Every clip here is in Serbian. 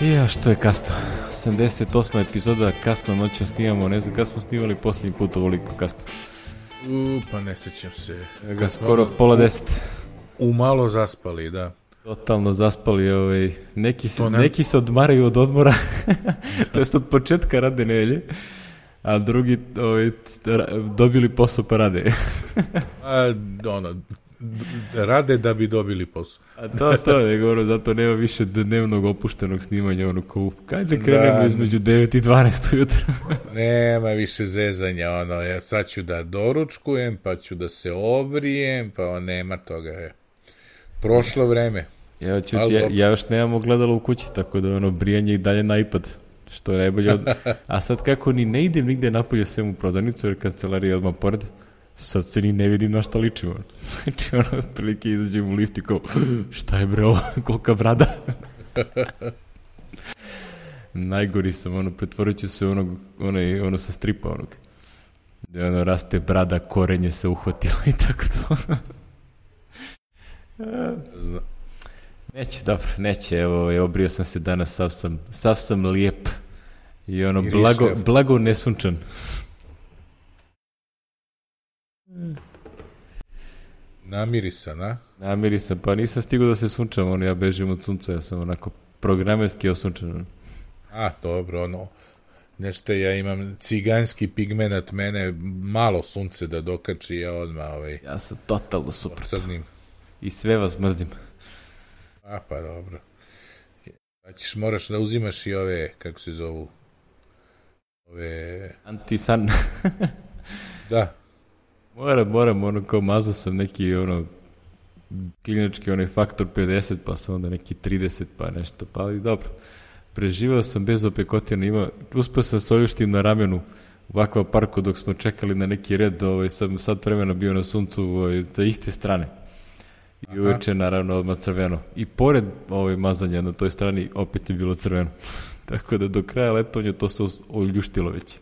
Ja, što je kasno. 78. epizoda, kasno noćom snimamo, ne znam kada smo snimali posljednji put ovoliko kasno. Pa ne sećam se. Skoro pola 10. Umalo zaspali, da. Totalno zaspali, neki se odmaraju od odmora, to jest od početka rade nedelje, a drugi dobili posao pa rade. Rade da bi dobili posao. A to je govorio, zato nema više dnevnog opuštenog snimanja, kajde krenemo između 9 i 12 ujutro. Nema više zezanja, ja sad ću da doručkujem, pa ću da se obrijem, pa nema toga, Prošlo vreme. Ja još nemam ogledalo u kući, tako da brijanje i dalje na iPad, što je najbolje. A sad kako ni ne idem nigde napolje sem u prodavnicu, jer kancelarija je odmah pored, sad se ni ne vidim na šta ličimo. Znači otprilike izađem u lift i kao, šta je bre ovo, kolika brada. Najgori sam, pretvorit ću se ono sa stripa onog. Gde raste brada, korenje se uhvatilo i tako to. Neće, evo, obrio sam se danas, sav sam lijep i blago nesunčan. Namirisan, a? Namirisan, pa nisam stigao da se sunčam, ja bežim od sunca, ja sam onako programerski osunčan. Dobro, nešto ja imam ciganski pigmenat, mene malo sunce da dokači, ja odmah Ja sam totalno super. Crnim. I sve vas mrzim. Pa dobro. Moraš da uzimaš i ove, kako se zovu? Antisan. Da. Moram, kao mazao sam neki, klinički faktor 50, pa sam onda neki 30, pa nešto, pa ali dobro. Preživao sam bez opekotina, uspio sam se oljuštim na ramenu u Aqua parku dok smo čekali na neki red, sam sad vremena bio na suncu sa iste strane. I uveče naravno odmah crveno. I pored mazanja na toj strani opet je bilo crveno. Tako da do kraja letovanja to se oljuštilo već.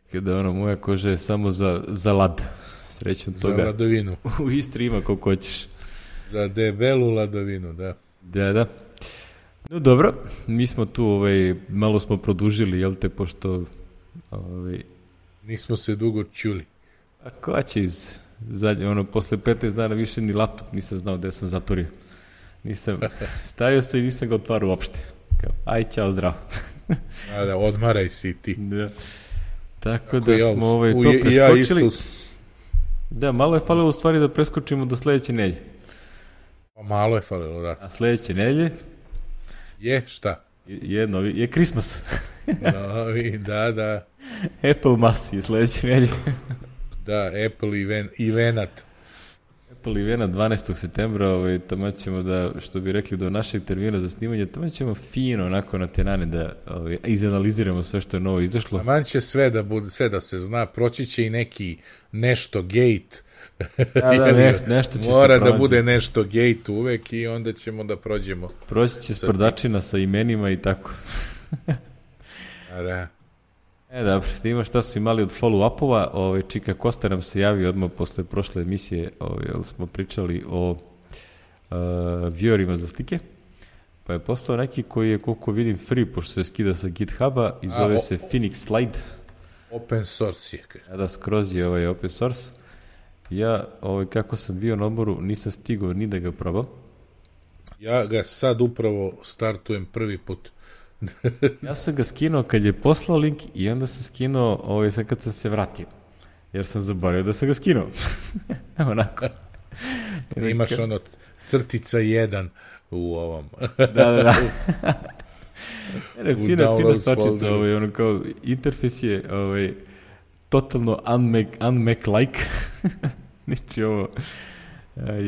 Tako da moja koža je samo za lad. Srećom toga. Za ladovinu. U Istri ima koliko hoćeš. Za debelu ladovinu, da. Da. No dobro, mi smo tu malo smo produžili, jel te, pošto nismo se dugo čuli. A ko će posle 15 dana više ni laptop nisam znao gde sam zatvorio. Stavio se i nisam ga otvarao uopšte. Aj, čao, zdravo. Da, odmaraj si ti. Da. Tako da smo to preskočili. Da, malo je falilo u stvari da preskočimo do sledeće nedelje. Pa malo je falilo, da. A sledeće nedelje? Je, šta? Je Christmas. Novi, da. Apple Mas je sledeće nedelje. Da, Apple i Venat. Apple i Venat 12. septembra, tamo ćemo da, što bi rekli, do našeg termina za snimanje, tamo ćemo fino onako na tenane da izanaliziramo sve što je novo izašlo. Taman će sve da se zna, proći će i neki nešto gate. Nešto će se mora da bude nešto gate uvek i onda ćemo da prođemo. Proći će sprdačina sa imenima i tako. Da. Dobro, da ima šta smo imali od follow-upova, Čika Kosta nam se javio odmah posle prošle emisije, smo pričali o viewerima za slike, pa je poslao neki koji je, koliko vidim, free, pošto se skida sa GitHuba i zove se Phoenix Slide. Open source je. Da, skroz je open source. Ja, kako sam bio na odmoru, nisam stigao ni da ga probam. Ja ga sad upravo startujem prvi put. Ja sam ga skinuo kad je poslao link i onda sam skinuo sad kad sam se vratio. Jer sam zaboravio da sam ga skinuo. Onako. Imaš crtica 1 u ovom. Da. Fina stvačica, kao interfejs je totalno unmac-like. Znači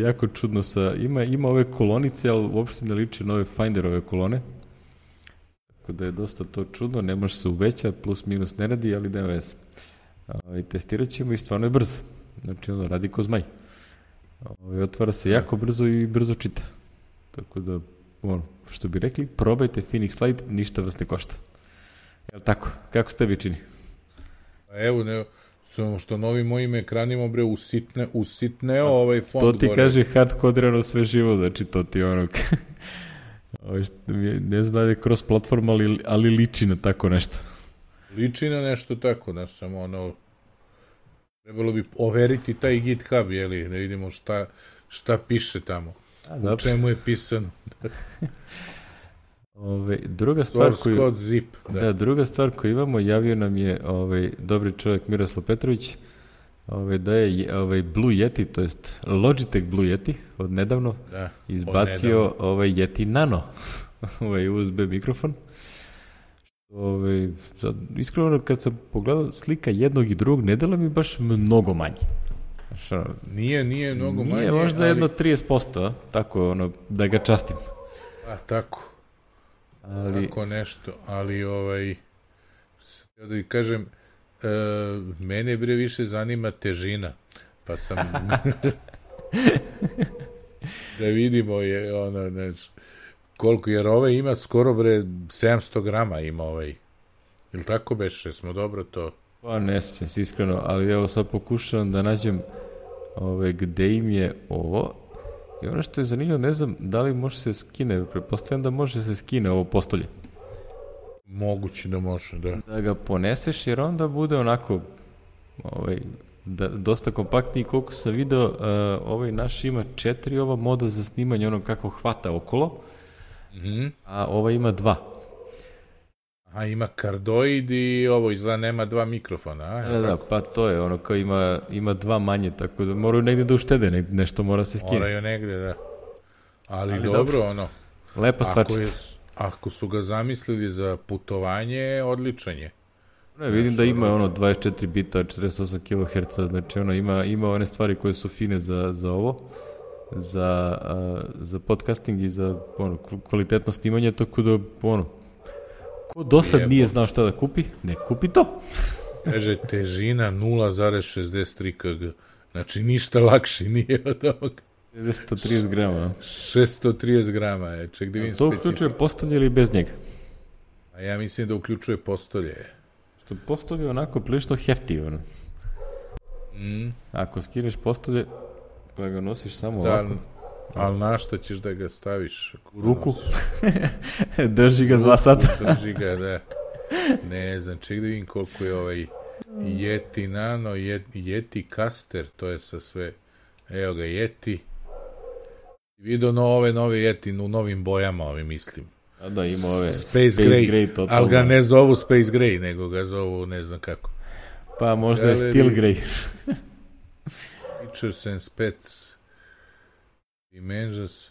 jako čudno ima ove kolonice, ali uopšte ne liče na ove Finderove kolone. Tako da je dosta to čudno, ne može se uveća, plus minus ne radi, ali nema veze. Testirat ćemo i stvarno je brzo. Znači radi ko zmaj. Otvara se jako brzo i brzo čita. Tako da, što bi rekli, probajte Phoenix Slide, ništa vas ne košta. Jel tako? Kako se tebi čini? Evo, samo što novim mojim ekranima, usitneo ovaj font. To ti kaže hard kodirano sve živo, znači to ti Ne znam da je cross platforma, ali liči na tako nešto. Liči na nešto tako, da samo ono... Trebalo bi overiti taj GitHub, jeli, da vidimo šta piše tamo. U čemu je pisano. Druga stvar koju... Zip, druga stvar koju imamo, javio nam je dobri čovjek Miroslav Petrović, da je Blue Yeti, to jest Logitech Blue Yeti, od nedavno izbacio Yeti Nano, USB mikrofon. Iskreno, kad sam pogledao slika jednog i drugog, ne dela mi baš mnogo manje. Nije mnogo manje. Nije možda jedno 30%, tako, da ga častim. Tako. Tako nešto, ali da kažem, mene više zanima težina, pa sam da vidimo koliko, jer ima skoro 700 grama ima ili tako beše, smo dobro to? Pa ne sjećam se iskreno, ali evo sad pokušavam da nađem gde im je ovo. I ono što je zanimljivo, ne znam da li može se skine, pretpostavljam da može se skine ovo postolje. Moguće da može, da. Da ga poneseš, jer onda bude onako dosta kompaktniji. Koliko sam video, naš ima 4 ova moda za snimanje, ono kako hvata okolo, a ova ima 2. Aha, ima kardoid i ovo izgleda nema 2 mikrofona. Da, pa to je ono kao ima 2 manje, tako da moraju negdje da uštede, nešto mora se skine. Moraju negdje, da. Ali dobro, lepa stvarčica. Ako su ga zamislili za putovanje, odličan je. Vidim da ima 24 bita, 48 kHz, znači ima one stvari koje su fine za ovo, za podcasting i za kvalitetno snimanje, tako da ko do sad nije znao šta da kupi, ne kupi to. Kaže, težina 0,63 kg. Znači, ništa lakši nije od ovog. 630 grama. 630 grama je. Ček da vidim to uključuje postolje ili bez njega? A ja mislim da uključuje postolje. Što postolje je onako prilično hefti. Ako skineš postolje, pa ga nosiš samo ovako. Ali na šta ćeš da ga staviš? U ruku. Drži ga 2 sata. Drži ga, da. Ne znam, ček da vidim koliko je Yeti Nano, Yeti Caster, to je sa sve. Evo ga, Yeti. Vidio ove nove Yeti u novim bojama, mislim. A da, ima ove Space Gray totalno. Ali ga ne zovu Space Gray, nego ga zovu ne znam kako. Pa možda je Steel Gray. Features and Specs. Dimensions.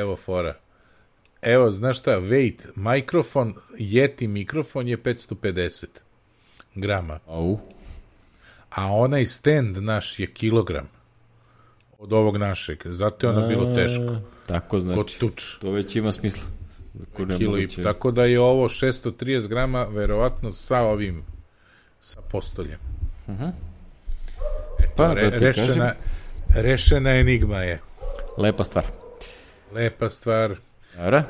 Evo fora. Evo, znaš šta, weight, mikrofon, Yeti mikrofon je 550 grama. A onaj stand naš je kilogram od ovog našeg, zato je ono bilo teško. Tako znači, to već ima smisla. Tako da je ovo 630 grama, verovatno sa postoljem. Pa, rešena enigma je. Lepa stvar. Dobra.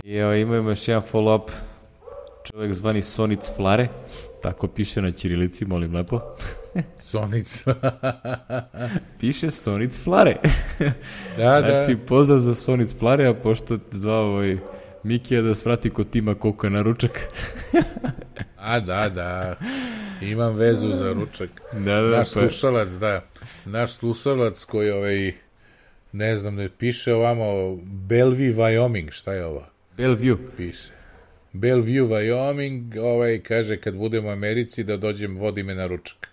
I imamo još jedan follow-up. Čovjek zvani Sonic Flare. Tako piše na ćirilici, molim lepo. Sonic. Piše Sonic Flare. Znači, pozdrav za Sonic Flare, a pošto te zvao Mikija da svrati kod Tima koliko je na ručak. Da. Imam vezu za ručak. Naš slušalac koji ne znam, ne piše ovamo Bellevue, Wyoming, šta je ovo? Bellevue. Piše. Bellevue, Wyoming, kaže kad budem u Americi da dođem, vodi me na ručak.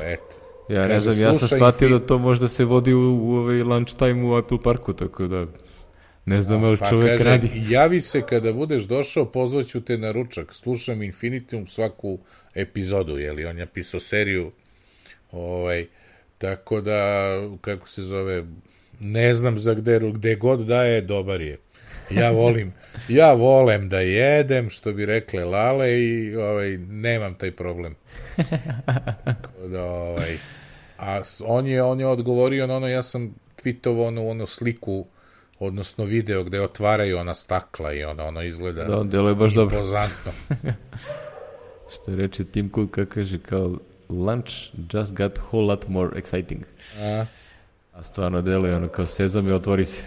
Eto. Ja ne znam, ja sam shvatio da to možda se vodi u lunch time u Apple Parku, tako da ne znam ali čovjek radi. Javi se kada budeš došao, pozvaću te na ručak. Slušam Infinitum svaku epizodu, jer on je pisao seriju. Tako da, kako se zove, ne znam za gde god daje, dobar je. Ja volem da jedem, što bi rekle Lale, i nemam taj problem. A on je odgovorio na ja sam tweetovao onu sliku, odnosno video gde otvaraju ona stakla i ono izgleda da, delo je baš impozantno. Što je reče Tim Cook, kako kaže, kao lunch just got whole lot more exciting. A stvarno deluje ono kao sezam i otvori se.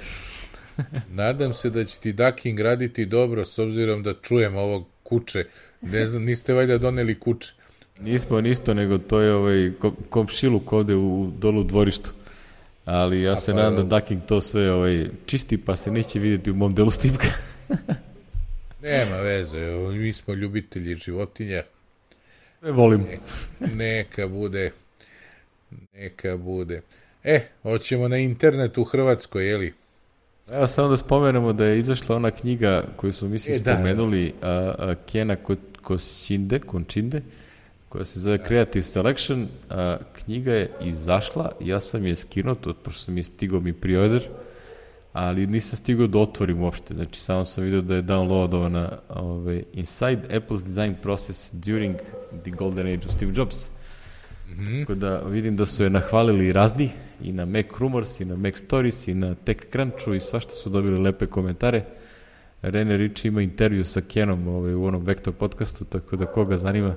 Nadam se da će ti ducking raditi dobro, s obzirom da čujem ovog kuće. Ne znam, niste valjda doneli kuće. Nismo nisto, nego to je komšiluk ovde u dolu dvorištu. Ali ja se nadam da ducking to sve čisti, pa se neće vidjeti u mom delu stipka. Nema veze, mi smo ljubitelji životinja. Volim. Neka bude. Hoćemo na internetu u Hrvatskoj, jeli? Evo samo da spomenemo da je izašla ona knjiga koju smo spomenuli, Kena Končinde, koja se zove Creative Selection. Knjiga je izašla, ja sam je skinuo, pošto sam je stigao mi pre-order, ali nisam stigao da otvorim uopšte, znači samo sam vidio da je downloadovana Inside Apple's Design Process During the Golden Age of Steve Jobs. Tako da vidim da su je nahvalili razni, i na Mac Rumors, i na Mac Stories, i na TechCrunchu, i svašta su dobili lepe komentare. Rene Ritchie ima intervju sa Kenom u onom Vektor podcastu, tako da koga zanima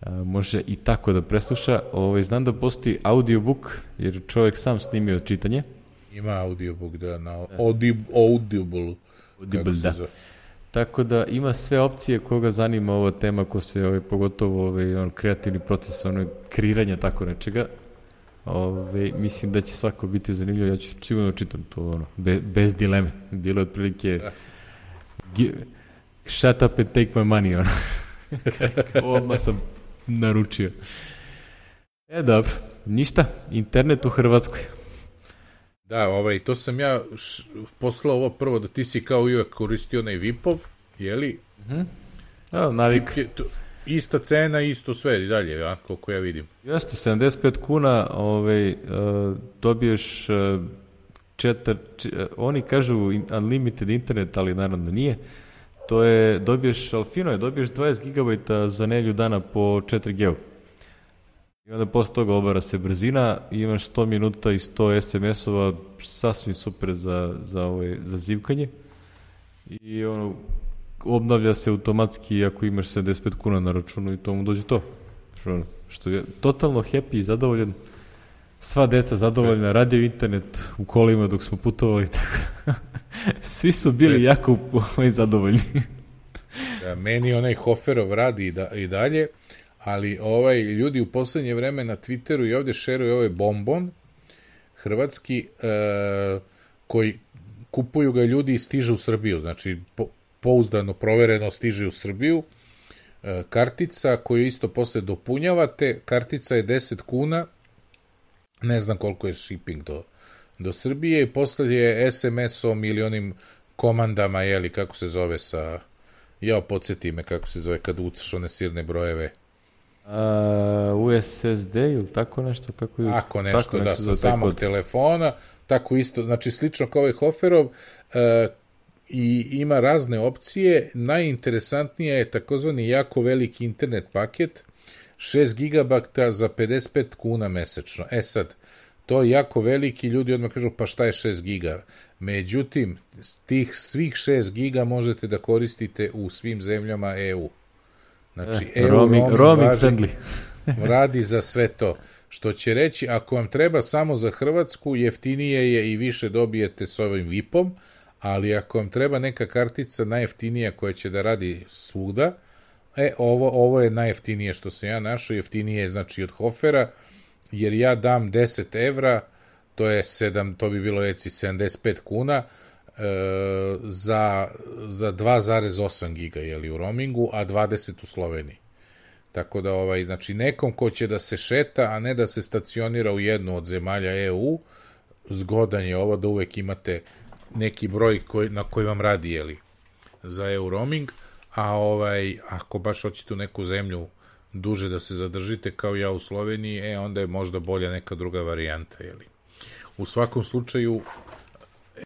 može i tako da presluša. Znam da postoji audiobook, jer čovjek sam snimio čitanje. Ima audiobook, da, na Audible, da. Tako da ima sve opcije koga zanima ova tema, ko se pogotovo kreativni proces, kreiranja tako nečega. Mislim da će svako biti zanimljivo, ja ću sigurno čitam to bez dileme. Bilo je otprilike shut up and take my money, odmah sam naručio. Dobro, ništa, internet u Hrvatskoj. Da, to sam ja poslao ovo prvo, da ti si kao uvijek koristio onaj VIP-ov, jeli? Navik. Ista cena, isto sve i dalje, ja, koliko ja vidim. Jeste, 75 kuna, dobiješ oni kažu unlimited internet, ali naravno nije. To je, dobiješ, ali fino je, dobiješ 20 GB za nedelju dana po 4G. I onda posle toga obara se brzina, imaš 100 minuta i 100 SMS-ova, sasvim super za zivkanje. I obnavlja se automatski ako imaš 75 kuna na računu i tomu dođe to. Što je totalno happy i zadovoljan. Sva deca zadovoljna, radio internet u kolima dok smo putovali. Svi su bili jako zadovoljni. Da, meni onaj Hoferov radi i dalje, ali ljudi u poslednje vreme na Twitteru i ovde šeruju ovaj bombon hrvatski, koji kupuju ga ljudi i stiže u Srbiju, znači pouzdano, provereno stiže u Srbiju, kartica koju isto posle dopunjavate, kartica je 10 kuna, ne znam koliko je shipping do Srbije, i posle je SMS-om ili onim komandama, jeli, kako se zove podsjeti me kako se zove kad ucaš one sirne brojeve. USSD ili tako nešto? Tako nešto, da, sa samog telefona, tako isto, znači slično kao ovaj Hoferov, i ima razne opcije. Najinteresantnija je takozvani jako veliki internet paket, 6 gigabajta za 55 kuna mesečno. Sad, to je jako veliki, ljudi odmah kažu pa šta je 6 giga? Međutim, tih svih 6 giga možete da koristite u svim zemljama EU. Znači, roaming friendly. Radi za sve to. Što će reći, ako vam treba samo za Hrvatsku, jeftinije je i više dobijete s ovim VIP-om, ali ako vam treba neka kartica najjeftinija koja će da radi svuda, ovo je najjeftinije što sam ja našao, jeftinije je znači od Hofera, jer ja dam 10 evra, to bi bilo 75 kuna, za 2,8 giga u roamingu, a 20 u Sloveniji. Tako da, znači, nekom ko će da se šeta, a ne da se stacionira u jednu od zemalja EU, zgodan je ovo da uvek imate neki broj na koji vam radi, za EU roaming, a ako baš hoćete u neku zemlju duže da se zadržite, kao ja u Sloveniji, onda je možda bolja neka druga varijanta, U svakom slučaju,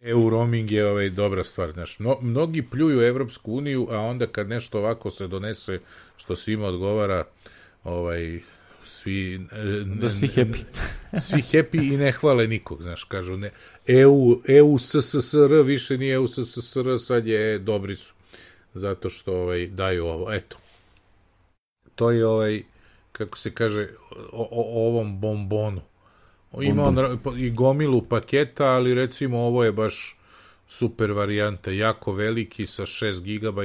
EU roaming je dobra stvar. Mnogi pljuju Evropsku uniju, a onda kad nešto ovako se donese što svima odgovara, svi happy. Svi happy i ne hvale nikog, kažu ne, EU SSSR više nije EU SSSR, sad je dobri su, zato što daju ovo, eto. To je kako se kaže, o ovom bombonu Ima on i gomilu paketa, ali recimo ovo je baš super varijanta, jako veliki sa 6 GB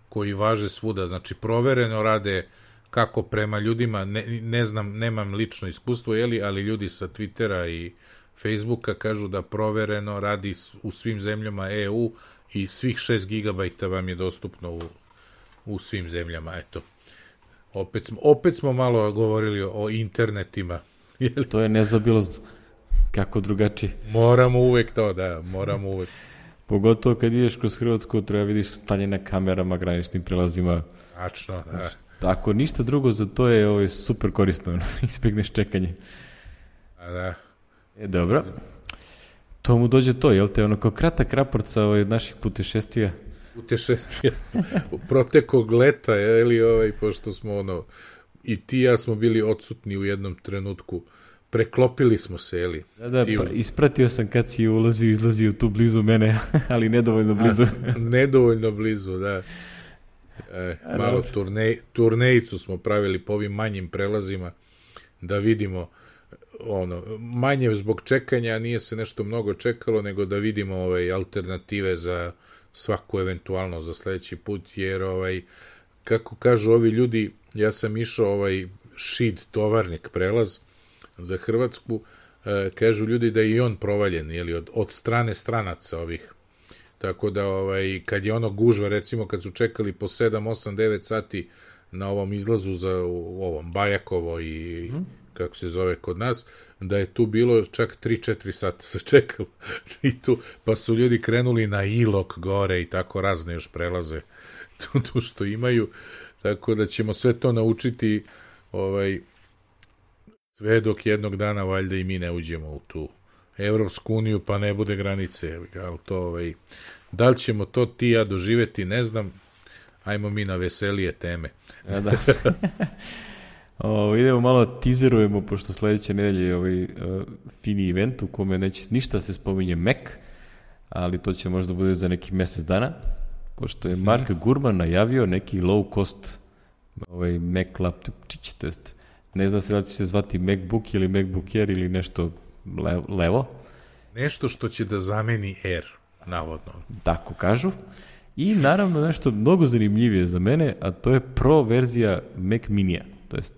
koji važe svuda, znači provereno rade kako prema ljudima, ne znam, nemam lično iskustvo, ali ljudi sa Twittera i Facebooka kažu da provereno radi u svim zemljama EU i svih 6 GB vam je dostupno u svim zemljama, eto. Opet smo malo govorili o internetima. To je nezaobilazno. Kako drugačije? Moramo uvek to, da, moramo uvek. Pogotovo kad ideš kroz Hrvatsku, treba vidiš stanje na kamerama, graničnim prelazima. Tačno, da. Ako ništa drugo, za to je super korisno. Izbjegneš čekanje. A da. Dobro. To mu dođe to, jel te? Ono kao kratak raport sa naših putešestvija. Protekog leta, pošto smo i ti ja smo bili odsutni u jednom trenutku. Preklopili smo se, Da, pa ispratio sam kad si ulazio i izlazio tu blizu mene, ali nedovoljno blizu. Nedovoljno blizu, da. Malo turnejicu smo pravili po ovim manjim prelazima, da vidimo manje zbog čekanja, nije se nešto mnogo čekalo, nego da vidimo alternative za svaku eventualno za sledeći put, jer kako kažu ovi ljudi, ja sam išao Šid tovarnik prelaz za Hrvatsku, kažu ljudi da je i on provaljen, od strane stranaca ovih. Tako da, kad je gužva, recimo kad su čekali po 7, 8, 9 sati na ovom izlazu za ovom Bajakovo i kako se zove kod nas, da je tu bilo čak 3-4 sata se čekalo. I tu, pa su ljudi krenuli na Ilok gore i tako razne još prelaze tu što imaju. Tako da ćemo sve to naučiti sve dok jednog dana valjda i mi ne uđemo u tu Evropsku uniju, pa ne bude granice. Ali to, da li ćemo to ti ja doživeti, ne znam. Ajmo mi na veselije teme. Da. Idemo malo tizerujemo, pošto sledeće nedelje je fini event u kome neće ništa se spominje Mac, ali to će možda bude za neki mesec dana, pošto je Mark Gurman najavio neki low cost Mac laptopčić, to jest ne zna se da će se zvati MacBook ili MacBook Air ili nešto levo. Nešto što će da zameni Air, navodno. Tako kažu. I naravno nešto mnogo zanimljivije za mene, a to je Pro verzija Mac Minija, to jest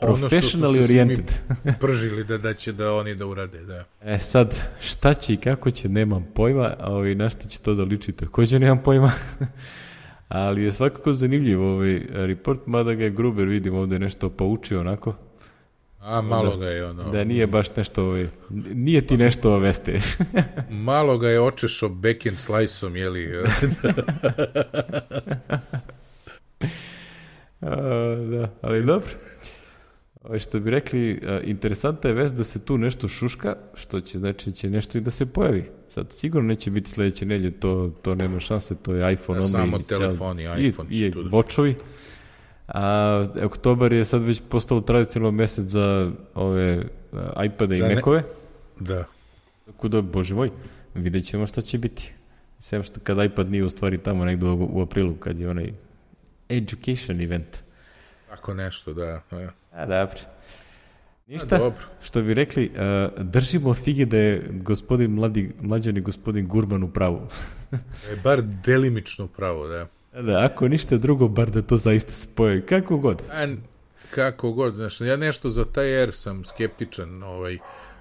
professionally oriented. Pržili da će da oni da urade, da. Sad, šta će i kako će, nemam pojma, a na što će to da liči, također nemam pojma. Ali je svakako zanimljiv report, mada ga je Gruber, vidim ovde nešto poučio onako. Malo ga je Da nije baš nešto, nije ti nešto veste. Malo ga je očešao backend slice-om, Da, ali dobro. Što bi rekli, interesantna je vest da se tu nešto šuška, što će znači će nešto i da se pojavi. Sad sigurno neće biti sledeće nedelje, to nema šanse, to je iPhone. Samo telefoni, iPhone. I watchovi. A oktobar je sad već postalo tradicionalno mesec za ove iPade i Macove. Da. Tako da, bože moj, vidjet ćemo šta će biti. Sem što kad iPad nije u stvari tamo negdje u aprilu, kad je onaj education event. Tako nešto, da. Dobro. Ništa, što bi rekli, držimo fige da je mlađani gospodin Gurman u pravu. Je bar delimično pravo, da. Da, ako ništa drugo, bar da to zaista se pojavi. Kako god. Kako god, znači, ja nešto za taj Air sam skeptičan,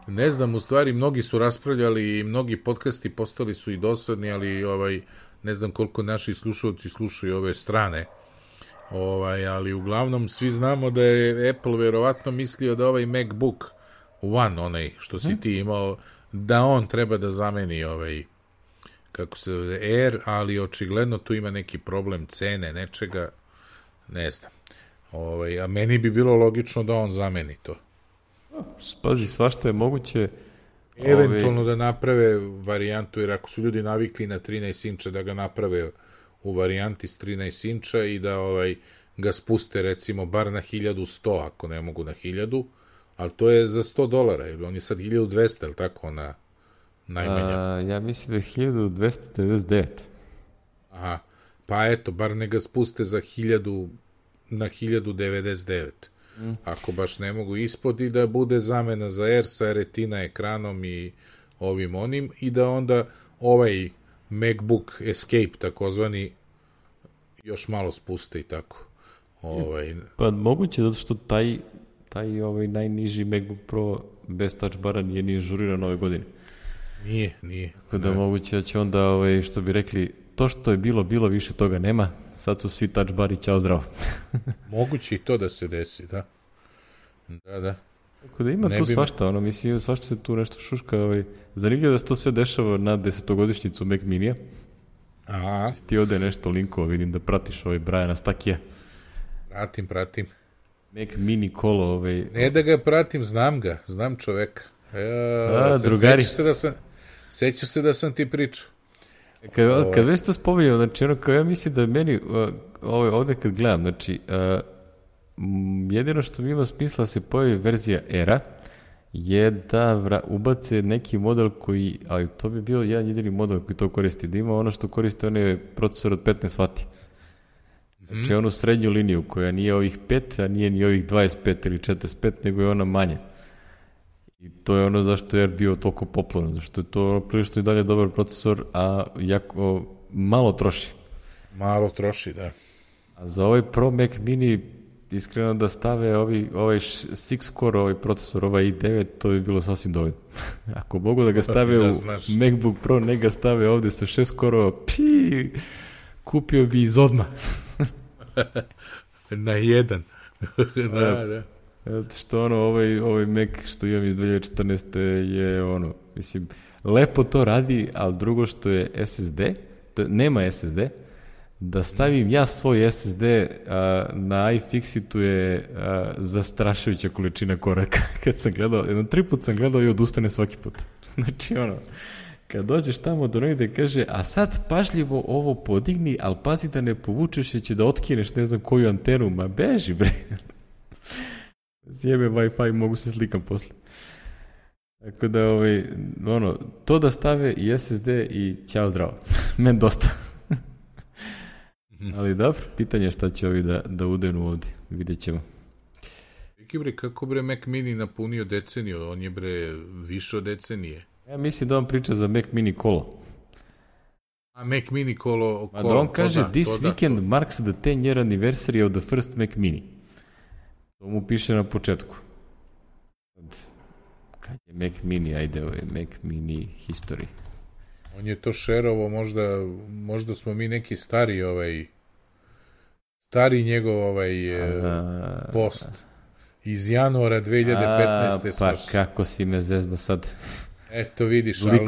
ne znam, u stvari, mnogi su raspravljali i mnogi podcasti postali su i dosadni, ali ne znam koliko naši slušalci slušaju ove strane, ali uglavnom svi znamo da je Apple verovatno mislio da ovaj MacBook One, onaj što si ti imao, da on treba da zameni kako se zove, Air, ali očigledno tu ima neki problem cene, nečega, ne znam. A meni bi bilo logično da on zameni to. Pazi, svašta je moguće. Eventualno da naprave varijantu, jer ako su ljudi navikli na 13 inča, da ga naprave u varijanti s 13 inča i da ga spuste recimo bar na 1100, ako ne mogu na 1000, ali to je za $100, on je sad 1200, ili tako, ona najmanja. Ja mislim da je 1299. Aha, pa eto, bar ne ga spuste za 1000 na 1099. Ako baš ne mogu ispod i da bude zamena za Air sa Retina ekranom i ovim onim i da onda ovaj MacBook Escape takozvani još malo spuste i tako. Pa moguće zato što taj najniži MacBook Pro bez touch bara nije ni žuriran ove godine. Nije. Tako da moguće da će onda, što bi rekli, to što je bilo, više toga nema, sad su svi touch bari, ćao zdravo. Moguće i to da se desi, da. Da. Tako da ima tu svašta, mislim, svašta se tu nešto šuška, zanimljivo da se to sve dešava na 10-godišnjicu Mac Minija. Aha. Ti ode nešto linkova, vidim da pratiš Brajana Stakija. Pratim. Mac Mini kolo, Ne da ga pratim, znam čoveka. Drugari. Sećaš se da sam ti pričao. Kad već to spominjao, znači kao ja mislim da meni ovde kad gledam, znači jedino što mi ima smisla da se pojavi verzija Era je da ubace neki model koji, ali to bi bio jedan jedini model koji to koristi, da ima ono što koristi onaj procesor od 15 W. Znači onu srednju liniju koja nije ovih 5, a nije ni ovih 25 ili 45, nego je ona manja. I to je ono zašto je bio toliko popularan, zašto je to prilično i dalje dobar procesor, a jako malo troši. Malo troši, da. A za ovaj Pro Mac Mini, iskreno da stave ovaj 6-core procesor, ovaj i9, to bi bilo sasvim dovoljno. Ako mogu da ga stave u MacBook Pro, ne ga stave ovde sa 6-core, kupio bi iz odmah. Na jedan. Da. Što ovaj Mac što imam iz 2014. je mislim, lepo to radi, ali drugo što je SSD, nema SSD, da stavim ja svoj SSD na iFixitu je zastrašujuća količina koraka. Kad sam gledao, 3 put sam gledao i odustane svaki put. Znači kad dođeš tamo do negde kaže, a sad pažljivo ovo podigni, ali pazi da ne povučeš jer će da otkineš ne znam koju antenu, ma beži bre. Zjebe Wi-Fi, mogu se slikam posle. Tako da, to da stave i SSD i ćao zdravo. Men dosta. Ali dobro, pitanje je šta će ovi da udenu ovdje. Vidjet ćemo. Kako Mac Mini napunio deceniju? On je više od decenije. Ja mislim da on priča za Mac Mini kolo. A Mac Mini kolo... A da on kaže, this weekend marks the 10-year anniversary of the first Mac Mini. To mu piše na početku. Kad je Mac Mini, ajde, Mac Mini history. On je to šerovo, možda smo mi neki stari njegov post iz januara 2015. Pa kako si me zezno sad. Eto vidiš, ali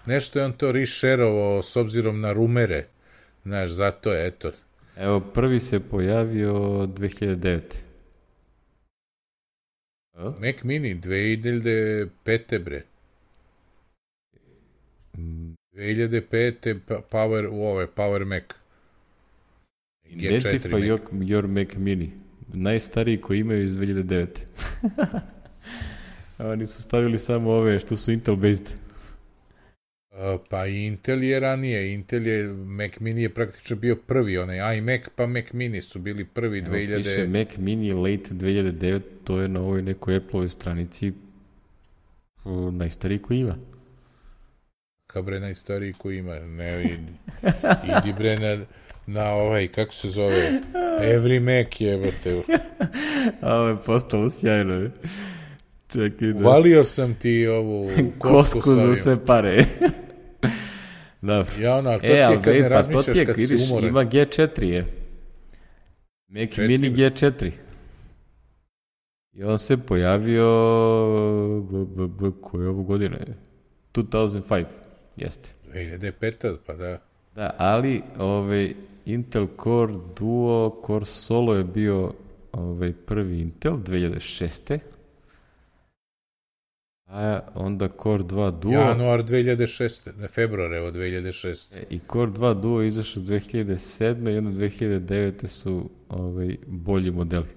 nešto je on to rešerovo s obzirom na rumere. Znaš, zato je, eto. Evo, prvi se pojavio 2009. Mac Mini, 2005. bre. 2005. Power Mac. Identify your Mac Mini. Najstariji koji imaju iz 2009. Oni su stavili samo ove što su Intel based. Pa Intel je ranije. Mac Mini je praktično bio prvi. Onaj iMac pa Mac Mini su bili prvi 2000. Piše Mac Mini late 2009, to je na ovoj nekoj Apple-ovoj stranici najstariji koji ima. Bre, najstariji koji ima. Ne, idi bre na kako se zove, Every Mac jebate. A ovo je postalo sjajno. Čekaj da... Uvalio sam ti ovu kosku za sve pare. Dobro. Ali to ti je kad ne razmišljaš kad si umoran. Ima G4 je. Mac Mini G4. I on se pojavio koje je ovu godine? 2005. Jeste. 2005, pa da. Da, ali Intel Core Duo, Core Solo je bio prvi Intel 2006. A onda Core 2 Duo... Januar 2006. Februar, evo, 2006. I Core 2 Duo izašao 2007. i onda 2009. su bolji modeli.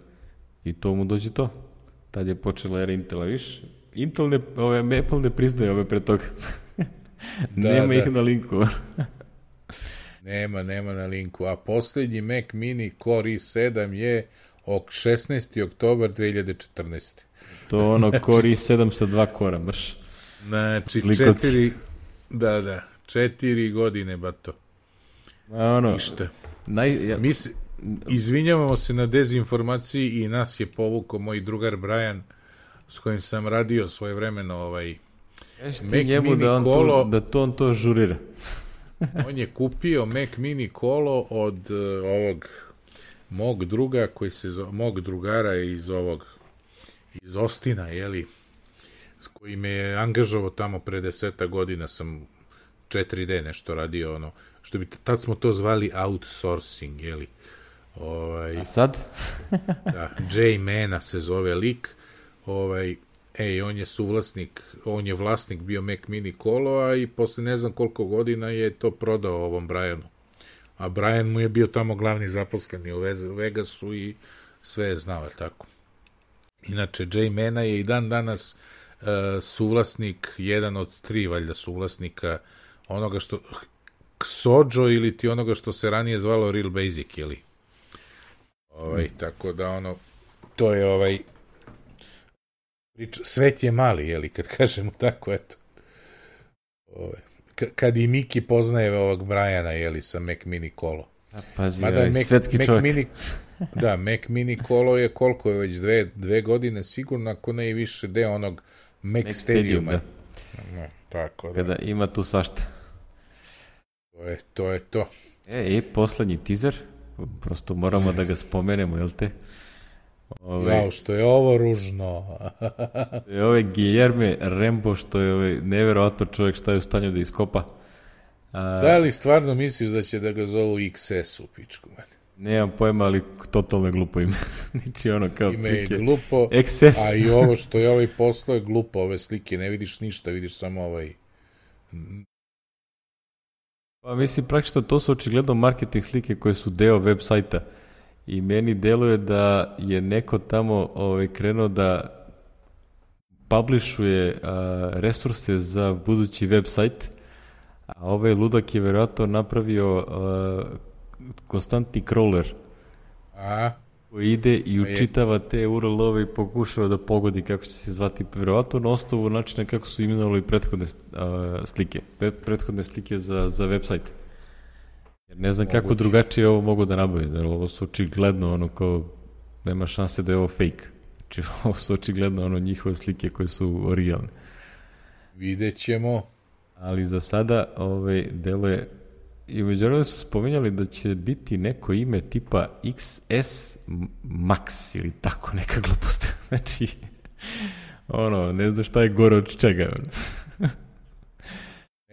I to mu dođe to. Tad je počela era Intela, viš? Apple ne priznaje ove pre toga. Nema ih na linku. Nema na linku. A posljednji Mac Mini Core i7 je 16. oktobar 2014. To ono Core i7 sa 2 kora, mrš. Znači, Likovci. 4 godine, bato. Ono, ništa. Izvinjavamo se na dezinformaciji i nas je povukao moj drugar Brian, s kojim sam radio svojevremeno Mac njemu da kolo. On to žurira. On je kupio Mac Mini kolo od ovog mog druga, mog drugara iz Ostina, jeli, s koji me je angažovao tamo pre 10 godina, sam 4D nešto radio, ono, što bi, tad smo to zvali outsourcing, jeli. A sad? Da, J. Mana se zove lik, on je vlasnik bio Mac Mini kolo, i posle ne znam koliko godina je to prodao ovom Brianu. A Brian mu je bio tamo glavni zaposleni u Vegasu i sve je znao, tako. Inače, J. Mana je i dan danas suvlasnik, jedan od 3 valjda suvlasnika onoga što Xojo ili ti onoga što se ranije zvalo Real Basic, jeli? Tako da ono, to je svet je mali, jeli, kad kažemo tako, eto. Kad i Miki poznaje ovog Briana, jeli, sa Mac Mini kolo. Pazi, svetski čovjek. Da, Mac Mini kolo je koliko je već 2 godine, sigurno, ako ne i više deo onog Mac Stadiuma. Da. Tako da. Kada ima tu svašta. To je to. Poslednji teaser, prosto moramo da ga spomenemo, jel te? Jao, što je ovo ružno. Guillerme Rembo, što je neverovatno čovjek šta je u stanju da iskopa. Da li stvarno misliš da će da ga zovu XS u pičku, meni? Nemam pojma, ali totalno je glupo ime. Niči ono kao ime je glupo, XS. A i ovo što je poslao je glupo, ove slike, ne vidiš ništa, vidiš samo Pa mislim, praktično to su očigledno marketing slike koje su deo web sajta. I meni deluje da je neko tamo krenuo da publishuje resurse za budući web sajt, a ovaj ludak je verovatno napravio konstantni crawler koji ide i učitava te URL-ove i pokušava da pogodi kako će se zvati, verovatno na osnovu načina kako su imenovali prethodne slike za web sajt. Jer ne znam kako drugačije ovo mogu da nabavi, jer ovo su očigledno ono kao, nema šanse da je ovo fake. Znači ovo su očigledno ono njihove slike koje su originalne. Vidjet ćemo. Ali za sada deluje, i međutim su spominjali da će biti neko ime tipa XS Max ili tako neka glupost. Znači, ne znam šta je gore od čega.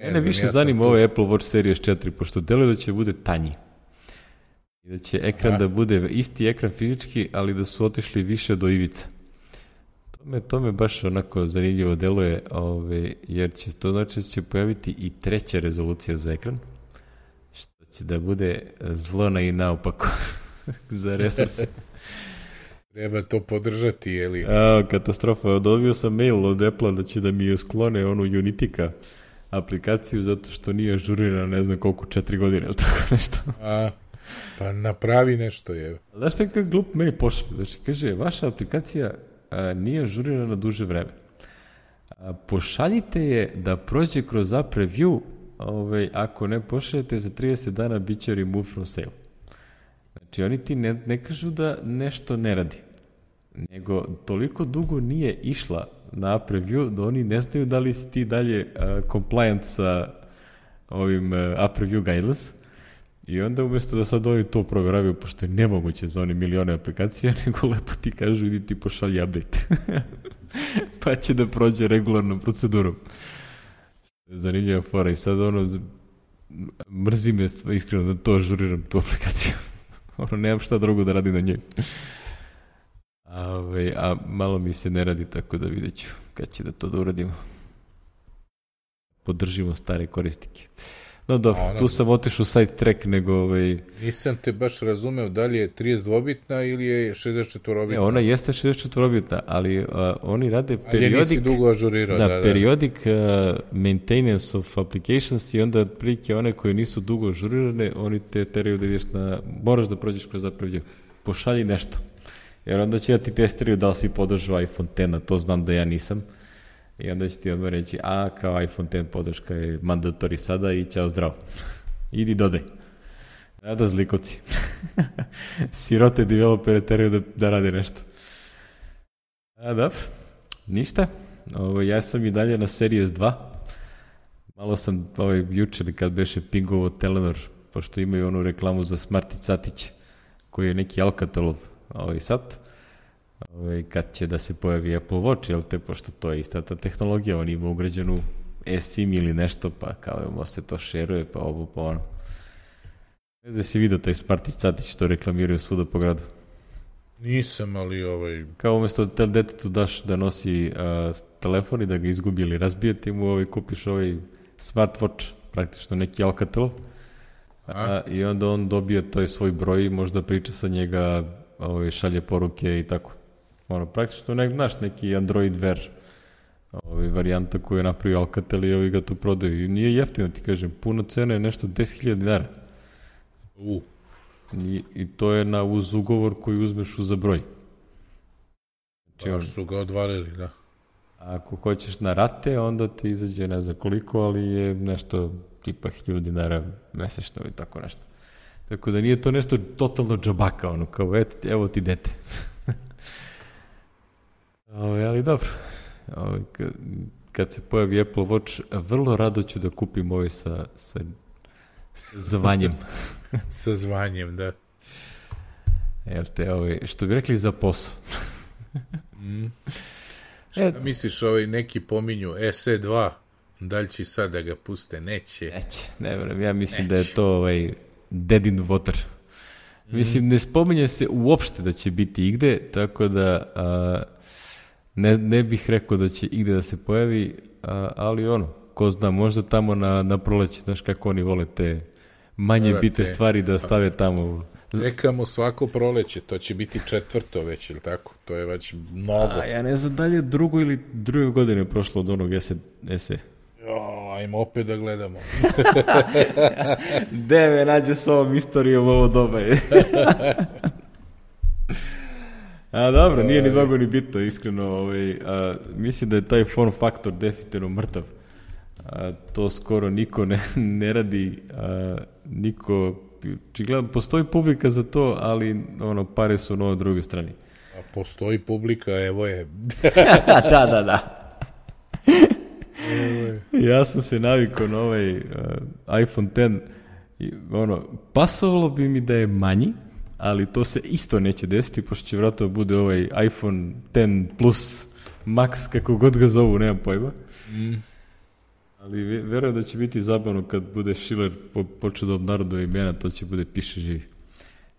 Mene više zanima ovo Apple Watch Series 4, pošto deluje da će bude tanji. I da će ekran da bude isti ekran fizički, ali da su otišli više do ivica. To me baš onako zanimljivo deluje, jer će to znači da će pojaviti i 3. rezolucija za ekran, što će da bude zlo na i naopako za resurse. Treba to podržati, jeli? Katastrofa. Dobio sam mail od Apple da će da mi sklone onu Unitika aplikaciju zato što nije ažurirana ne znam koliko, 4 godine ili tako nešto. Pa napravi nešto, je. Znaš šta kak glup mail pošli? Znači, kaže, vaša aplikacija nije ažurirana duže vreme. Pošaljite je da prođe kroz app review, ako ne pošaljete za 30 dana bit će remove from sale. Znači, oni ti ne kažu da nešto ne radi, nego toliko dugo nije išla na app review da oni ne znaju da li si ti dalje compliant sa ovim app review guidelines, i onda umjesto da sad oni to provjeravaju, pošto je nemoguće za oni milione aplikacija, nego lepo ti kažu idi ti pošalji update. Pa će da prođe regularnom procedurom. Zanimljiva fora, i sad mrzi me iskreno da to ažuriram, tu aplikaciju. Nemam šta drugo da radim na njoj. A malo mi se ne radi, tako da vidjet ću kad će da uradimo. Podržimo stare korisnike. No dobro, tu sam otišao u site track, nego... Nisam te baš razumeo, da li je 32-bitna ili je 64-bitna? Ne, ona jeste 64-bitna, ali oni rade periodic... Ali nisi dugo ažurirao, da. Periodic maintenance of applications, i onda prilike one koje nisu dugo ažurirane, oni te teraju da ideš moraš da prođeš kroz zapravljiv. Pošalji nešto. Jer onda će da ti testiraju da li si podržao iPhone X, a to znam da ja nisam. I onda će ti odmah reći, kao iPhone X podrška je mandatori sada i ćao zdravo. Idi dodaj. Da zlikovci. Sirote developere teraju da rade nešto. Dobro, ništa. Ja sam i dalje na Series 2. Malo sam jučer kad beše pingovo Telenor, pošto imaju onu reklamu za Smarty Catić, koji je neki Alcatelov sad. Kad će da se pojavi Apple Watch, jel te, pošto to je ista ta tehnologija, on ima ugrađenu eSIM ili nešto, pa kao se to šeruje, pa ovo, pa ono. Ne znam si vidio taj Smarty Catić, to reklamiraju svuda po gradu. Nisam, ali Kao umjesto da detetu daš da nosi telefon i da ga izgubi ili razbije, ti mu kupiš smartwatch, praktično neki Alcatelov, i onda on dobije taj svoj broj i možda priča sa njega, šalje poruke i tako. Praktično neki Android Wear varijanta koju je napravio Alcatel i ovi ga tu prodaju. I nije jeftino, ti kažem, puno cena je nešto 10.000 dinara. I to je uz ugovor koji uzmeš za broj. Baš su ga odvalili, da. Ako hoćeš na rate, onda ti izađe ne znam koliko, ali je nešto tipa 1.000 dinara mesečno ili tako nešto. Tako da nije to nešto totalno džabaka, kao evo ti dete. Ali dobro. Kad se pojavi Apple Watch, vrlo rado ću da kupim sa zvanjem. Sa zvanjem, da. Što bi rekli za posao. Šta misliš, neki pominju SE2, da li će sad da ga puste? Neće, ne vrem, ja mislim da je to dead in water. Mislim, ne spominje se uopšte da će biti igde, tako da ne bih rekao da će igde da se pojavi, ali ko zna, možda tamo na proleće, znaš kako oni vole te manje bitne stvari da stave tamo. Rekamo svako proleće, to će biti 4. već, ili tako? To je već mnogo. Ja ne znam, dalje druge godine prošlo od onog SE. Ajmo opet da gledamo. Gde me nađe s ovom istorijom ovo doba je. Dobro, nije ni mnogo ni bitno, iskreno. Mislim da je taj form faktor definitivno mrtav. To skoro niko ne radi, niko... Gledam, postoji publika za to, ali pare su na drugoj strani. A postoji publika, evo je. Da. Ja sam se navikao na iPhone X. Pasovalo bi mi da je manji, ali to se isto neće desiti, pošto će vratno bude iPhone X Plus Max, kako god ga zovu, nemam pojma. Ali verujem da će biti zabavno kad bude Schiller počeo da obnaroduje imena, to će bude piše živi.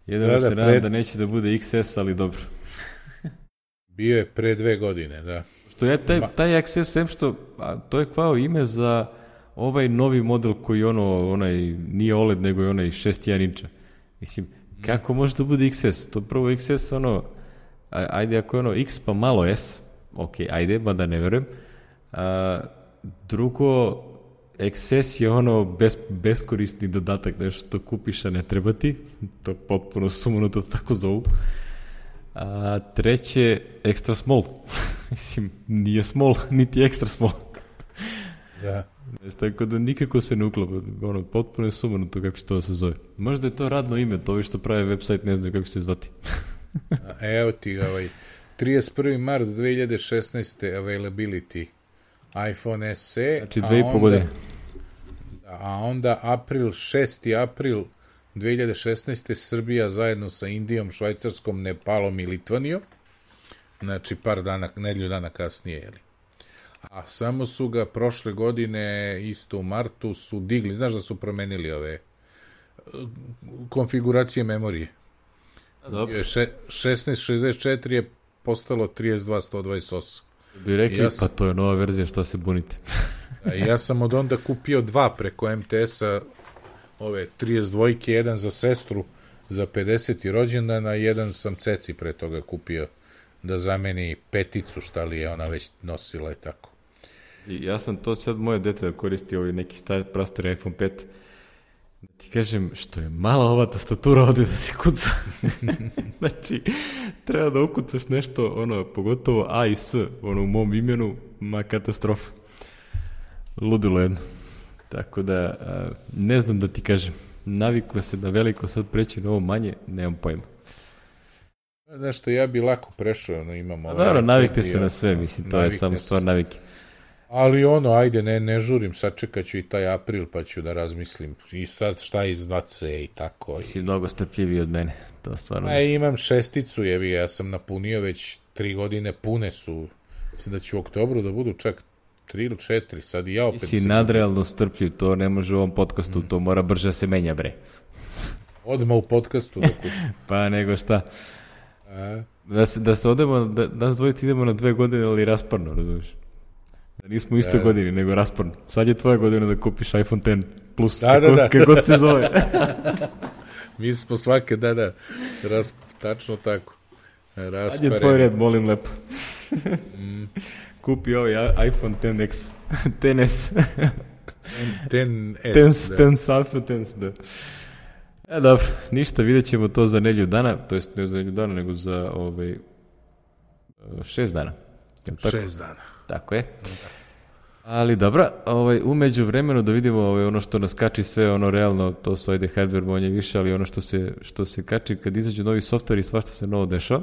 Jedino se nadam da neće da bude XS, ali dobro. Bio je pre 2 godine, da. Što je taj XS, što to je kao ime za novi model koji onaj nije OLED, nego je onaj 6.1 inča. Mislim, kako može da bude XS? To prvo XS, ajde ako je X pa malo S, ok, ajde, mada ne verujem. Drugo, XS je beskorisni dodatak, nešto kupiš, a ne treba ti, to potpuno sumanuto tako zovu. A treće, extra small. Mislim, nije small, niti extra small. Da. Tako da nikako se ne uklapa, potpuno je sumanuto kako će to se zove. Možda je to radno ime, to ovi što prave website ne znaju kako će se zvati. Evo ti 31. mart 2016. availability iPhone SE, znači 2,5 godine. A onda 6. april 2016. Srbija zajedno sa Indijom, Švajcarskom, Nepalom i Litvanijom, znači nedelju dana kasnije, jeli. A samo su ga prošle godine, isto u martu, su digli, znaš da su promenili ove konfiguracije memorije. 1664 je postalo 32/128. Bi rekli, pa to je nova verzija, što se bunite. Ja sam od onda kupio 2 preko MTS-a, ove 32, jedan za sestru za 50. rođendan, a jedan sam ceci pre toga kupio da zameni 5, šta li je ona već nosila i tako. Ja sam to sad moje dete da koristi neki prastari iPhone 5 Ti kažem, što je mala ova tastatura ovde da se kuca. Znači, treba da ukucaš nešto, ono, pogotovo A i S, ono, u mom imenu, ma katastrofa. Ludilo jedno. Tako da, ne znam da ti kažem, navikla se da veliko sad preći na ovo manje, nemam pojma. Nešto, ja bi lako prešao, ono, imamo... Naravno, navikte se na sve, mislim, to je samo stvar navike. Ali ono, ajde, ne žurim, sačekat ću i taj april, pa ću da razmislim. I sad šta izbace i tako. Ti si mnogo strpljiviji od mene, to stvarno... Imam 6, jevi, ja sam napunio već 3 godine, pune su. Mislim da će u oktobru da budu čak 3 ili 4, sad i ja opet... Ti si nadrealno strpljiv, to ne može u ovom podcastu, to mora brže da se menja, bre. Odmah u podcastu. Pa nego šta. Da se odemo, da nas dvojici idemo na 2 godine, ali rasparno, razumiješ? Da nismo u istoj godini, nego rasparno. Sad je tvoja godina da kupiš iPhone X Plus, kako god se zove. Mi smo svake, tačno tako. Sad je tvoj red, molim lepo. Kupi ovaj iPhone XS. XS, Alpha X, da. Dobro, ništa, vidjet ćemo to za nedelju dana, to jest ne za nedelju dana, nego za 6 dana. 6 dana. Tako je. Ali dobro, umeđu vremenu da vidimo ono što nas kači sve, ono realno, to su ajde hardware manje više, ali ono što se kači kad izađu novi software i svašta se novo dešava.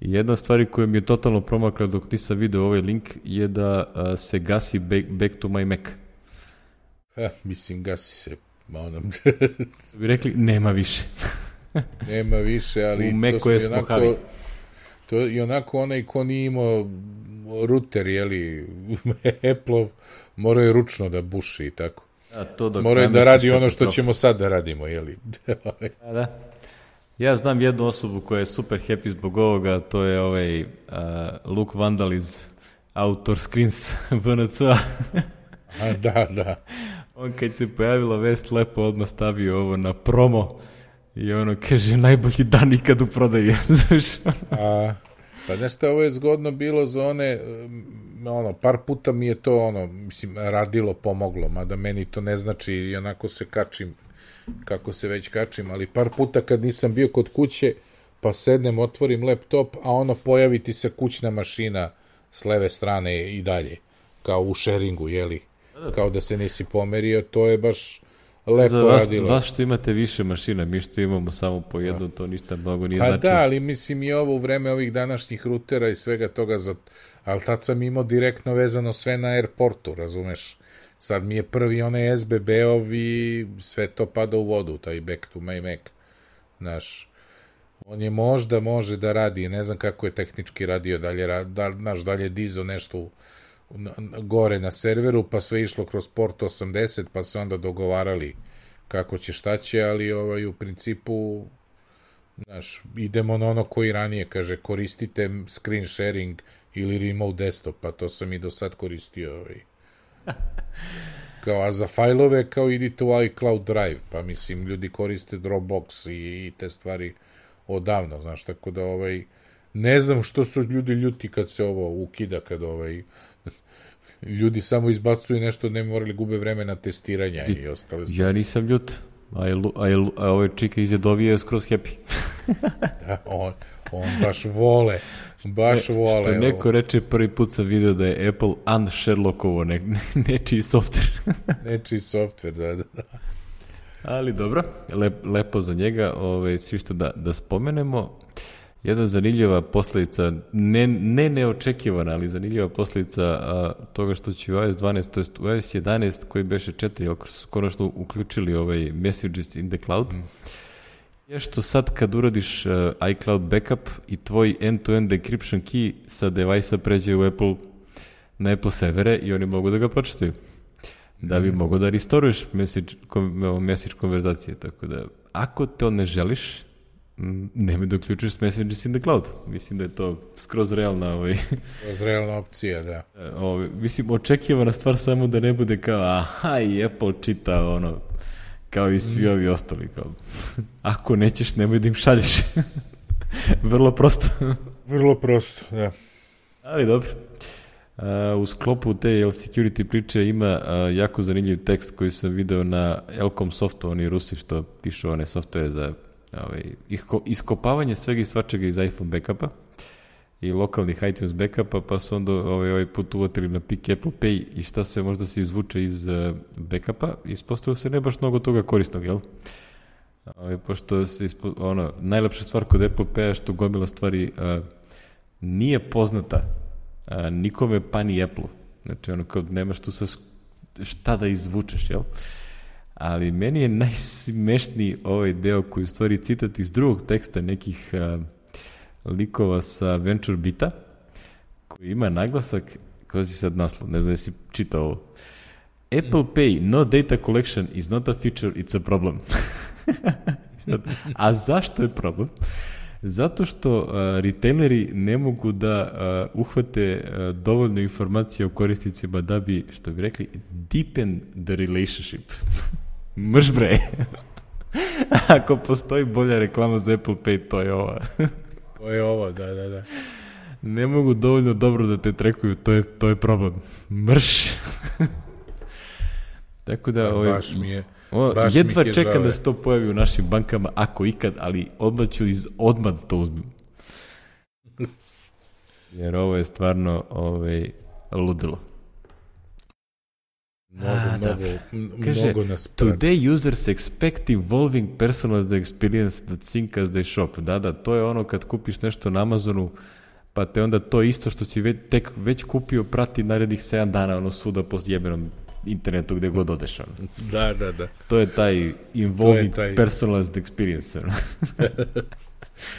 I jedna stvar koja mi je totalno promakla dok nisam video ovaj link je da se gasi Back to my Mac. Mislim, gasi se. Bi rekli, nema više. Nema više, ali u Macu smo havi. To je onako onaj ko nije imao ruter, jeli, Apple-ov, moraju ručno da buši i tako. Moraju da radi ono što ćemo sad da radimo, jeli. Da. Ja znam jednu osobu koja je super happy zbog ovoga, to je Luke Vandal iz Autor Screens VNC-a. Da. On kad se pojavila vest, lepo odmah stavio ovo na promo i ono kaže najbolji dan ikad u prodaji. Pa nešto, ovo je zgodno bilo za one, par puta mi je to, mislim, radilo, pomoglo, mada meni to ne znači i onako se kačim, kako se već kačim, ali par puta kad nisam bio kod kuće, pa sednem, otvorim laptop, a pojavi ti se kućna mašina s leve strane i dalje, kao u sharingu, jeli, kao da se nisi pomerio, to je baš lepo radilo. Za vas što imate više mašina, mi što imamo samo po jednu, to ništa mnogo nije znači. Pa da, ali mislim i ovo u vreme ovih današnjih rutera i svega toga, ali tad sam imao direktno vezano sve na Airportu, razumeš? Sad mi je prvi onaj SBB-ov i sve to pada u vodu, taj Back to my Mac. Znaš, on je možda može da radi, ne znam kako je tehnički radio, dalje dizo nešto gore na serveru, pa sve išlo kroz port 80, pa se onda dogovarali kako će, šta će, ali u principu, znaš, idemo na ono koji ranije kaže, koristite screen sharing ili remote desktop, pa to sam i do sad koristio. Kao, a za fajlove, kao idite u iCloud Drive, pa mislim, ljudi koriste Dropbox i te stvari odavno, znaš, tako da ne znam što su ljudi ljuti kad se ovo ukida, kad ljudi samo izbacuju nešto, ne morali gube vreme na testiranja i ostale stvari. Ja nisam ljut, a ovaj čika iz Jadovije je skroz happy. Da, on baš vole. Što neko reče, prvi put sam vidio da je Apple un-Sherlockovo nečiji software. Nečiji software, da. Ali dobro, lepo za njega, svi što da spomenemo. Jedna zanimljiva posljedica, ne neočekivana, ali zanimljiva posljedica toga što će u iOS 12, to jest u iOS 11, koji beše 4, ako su konačno uključili Messages in the Cloud, je što sad kad uradiš iCloud backup i tvoj end-to-end decryption key sa device-a pređe na Apple servere i oni mogu da ga pročitaju. Da bi mogo da restoruješ message konverzacije. Tako da, ako to ne želiš, nemoj da uključiš Messages in the Cloud. Mislim da je to skroz realna skroz realna opcija, da. Mislim, očekivana stvar samo da ne bude kao aha, i Apple čita kao i svi ovi ostali. Kao. Ako nećeš, nemoj da im šalješ. Vrlo prosto. Vrlo prosto, da. Ali dobro. U sklopu te security priče ima jako zanimljiv tekst koji sam video na Elcom Softu, oni Rusi što pišu one softvere za iskopavanje svega i svačega iz iPhone backupa i lokalnih iTunes backupa, pa su onda ovaj put uvatili na pik Apple Pay i šta sve možda se izvuče iz backupa, ispostavilo se ne baš mnogo toga korisnog, jel? Pošto se najlepša stvar kod Apple Pay-a što gomila stvari nije poznata nikome pa ni Apple-u. Znači, kao nemaš tu šta da izvučeš, jel? Ali meni je najsmešniji ovaj deo koji u stvari citat iz drugog teksta nekih likova sa VentureBeat-a, koji ima naglasak, kao si sad naslov, ne znam da si čitao ovo. Apple Pay, no data collection is not a feature, it's a problem. A zašto je problem? Zato što retaileri ne mogu da uhvate dovoljno informacije o korisnicima da bi, što bi rekli, deepen the relationship. Mrš bre. Ako postoji bolja reklama za Apple Pay, to je ova. To je ovo, da. Ne mogu dovoljno dobro da te trekuju, to je problem. Mrš. Tako da, baš mi je jedva čekam da se to pojavi u našim bankama, ako ikad, ali odmah ću odmah to uzmem. Jer ovo je stvarno ludilo. Mnogo nas prati. Today users expect evolving personalized experience that sync as they shop. Da, to je ono kad kupiš nešto na Amazonu, pa te onda to isto što si već kupio prati narednih 7 dana, svuda po jebenom internetu gde god odeš. Da. To je taj involving personalized experience.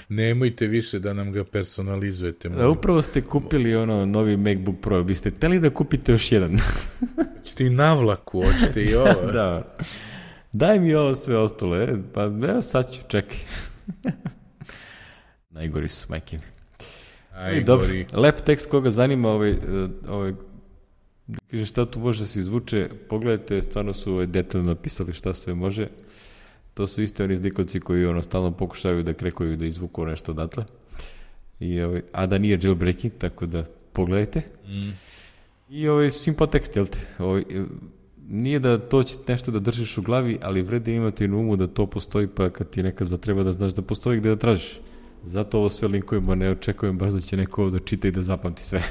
Nemojte više da nam ga personalizujete. Upravo ste kupili novi MacBook Pro. Biste hteli da kupite još jedan? Hoćete i navlaku, hoćete i ovo. Da. Daj mi ovo sve ostalo. Pa evo sad ću, čekaj. Najgori su, majke mi. Dobro, lep tekst koga zanima kaže šta tu može da se izvuče, pogledajte, stvarno su detaljno napisali šta sve može. To su isto oni zlikovci koji stalno pokušavaju da krekuju da izvuku nešto odatle. A da nije jailbreaking, tako da pogledajte. I simple tekst, jel te? Nije da to će nešto da držiš u glavi, ali vrede imati na umu da to postoji, pa kad ti nekad zatreba da znaš da postoji gde da tražiš. Zato ovo sve linkujemo, ne očekujem baš da će neko ovo da čita i da zapamti sve.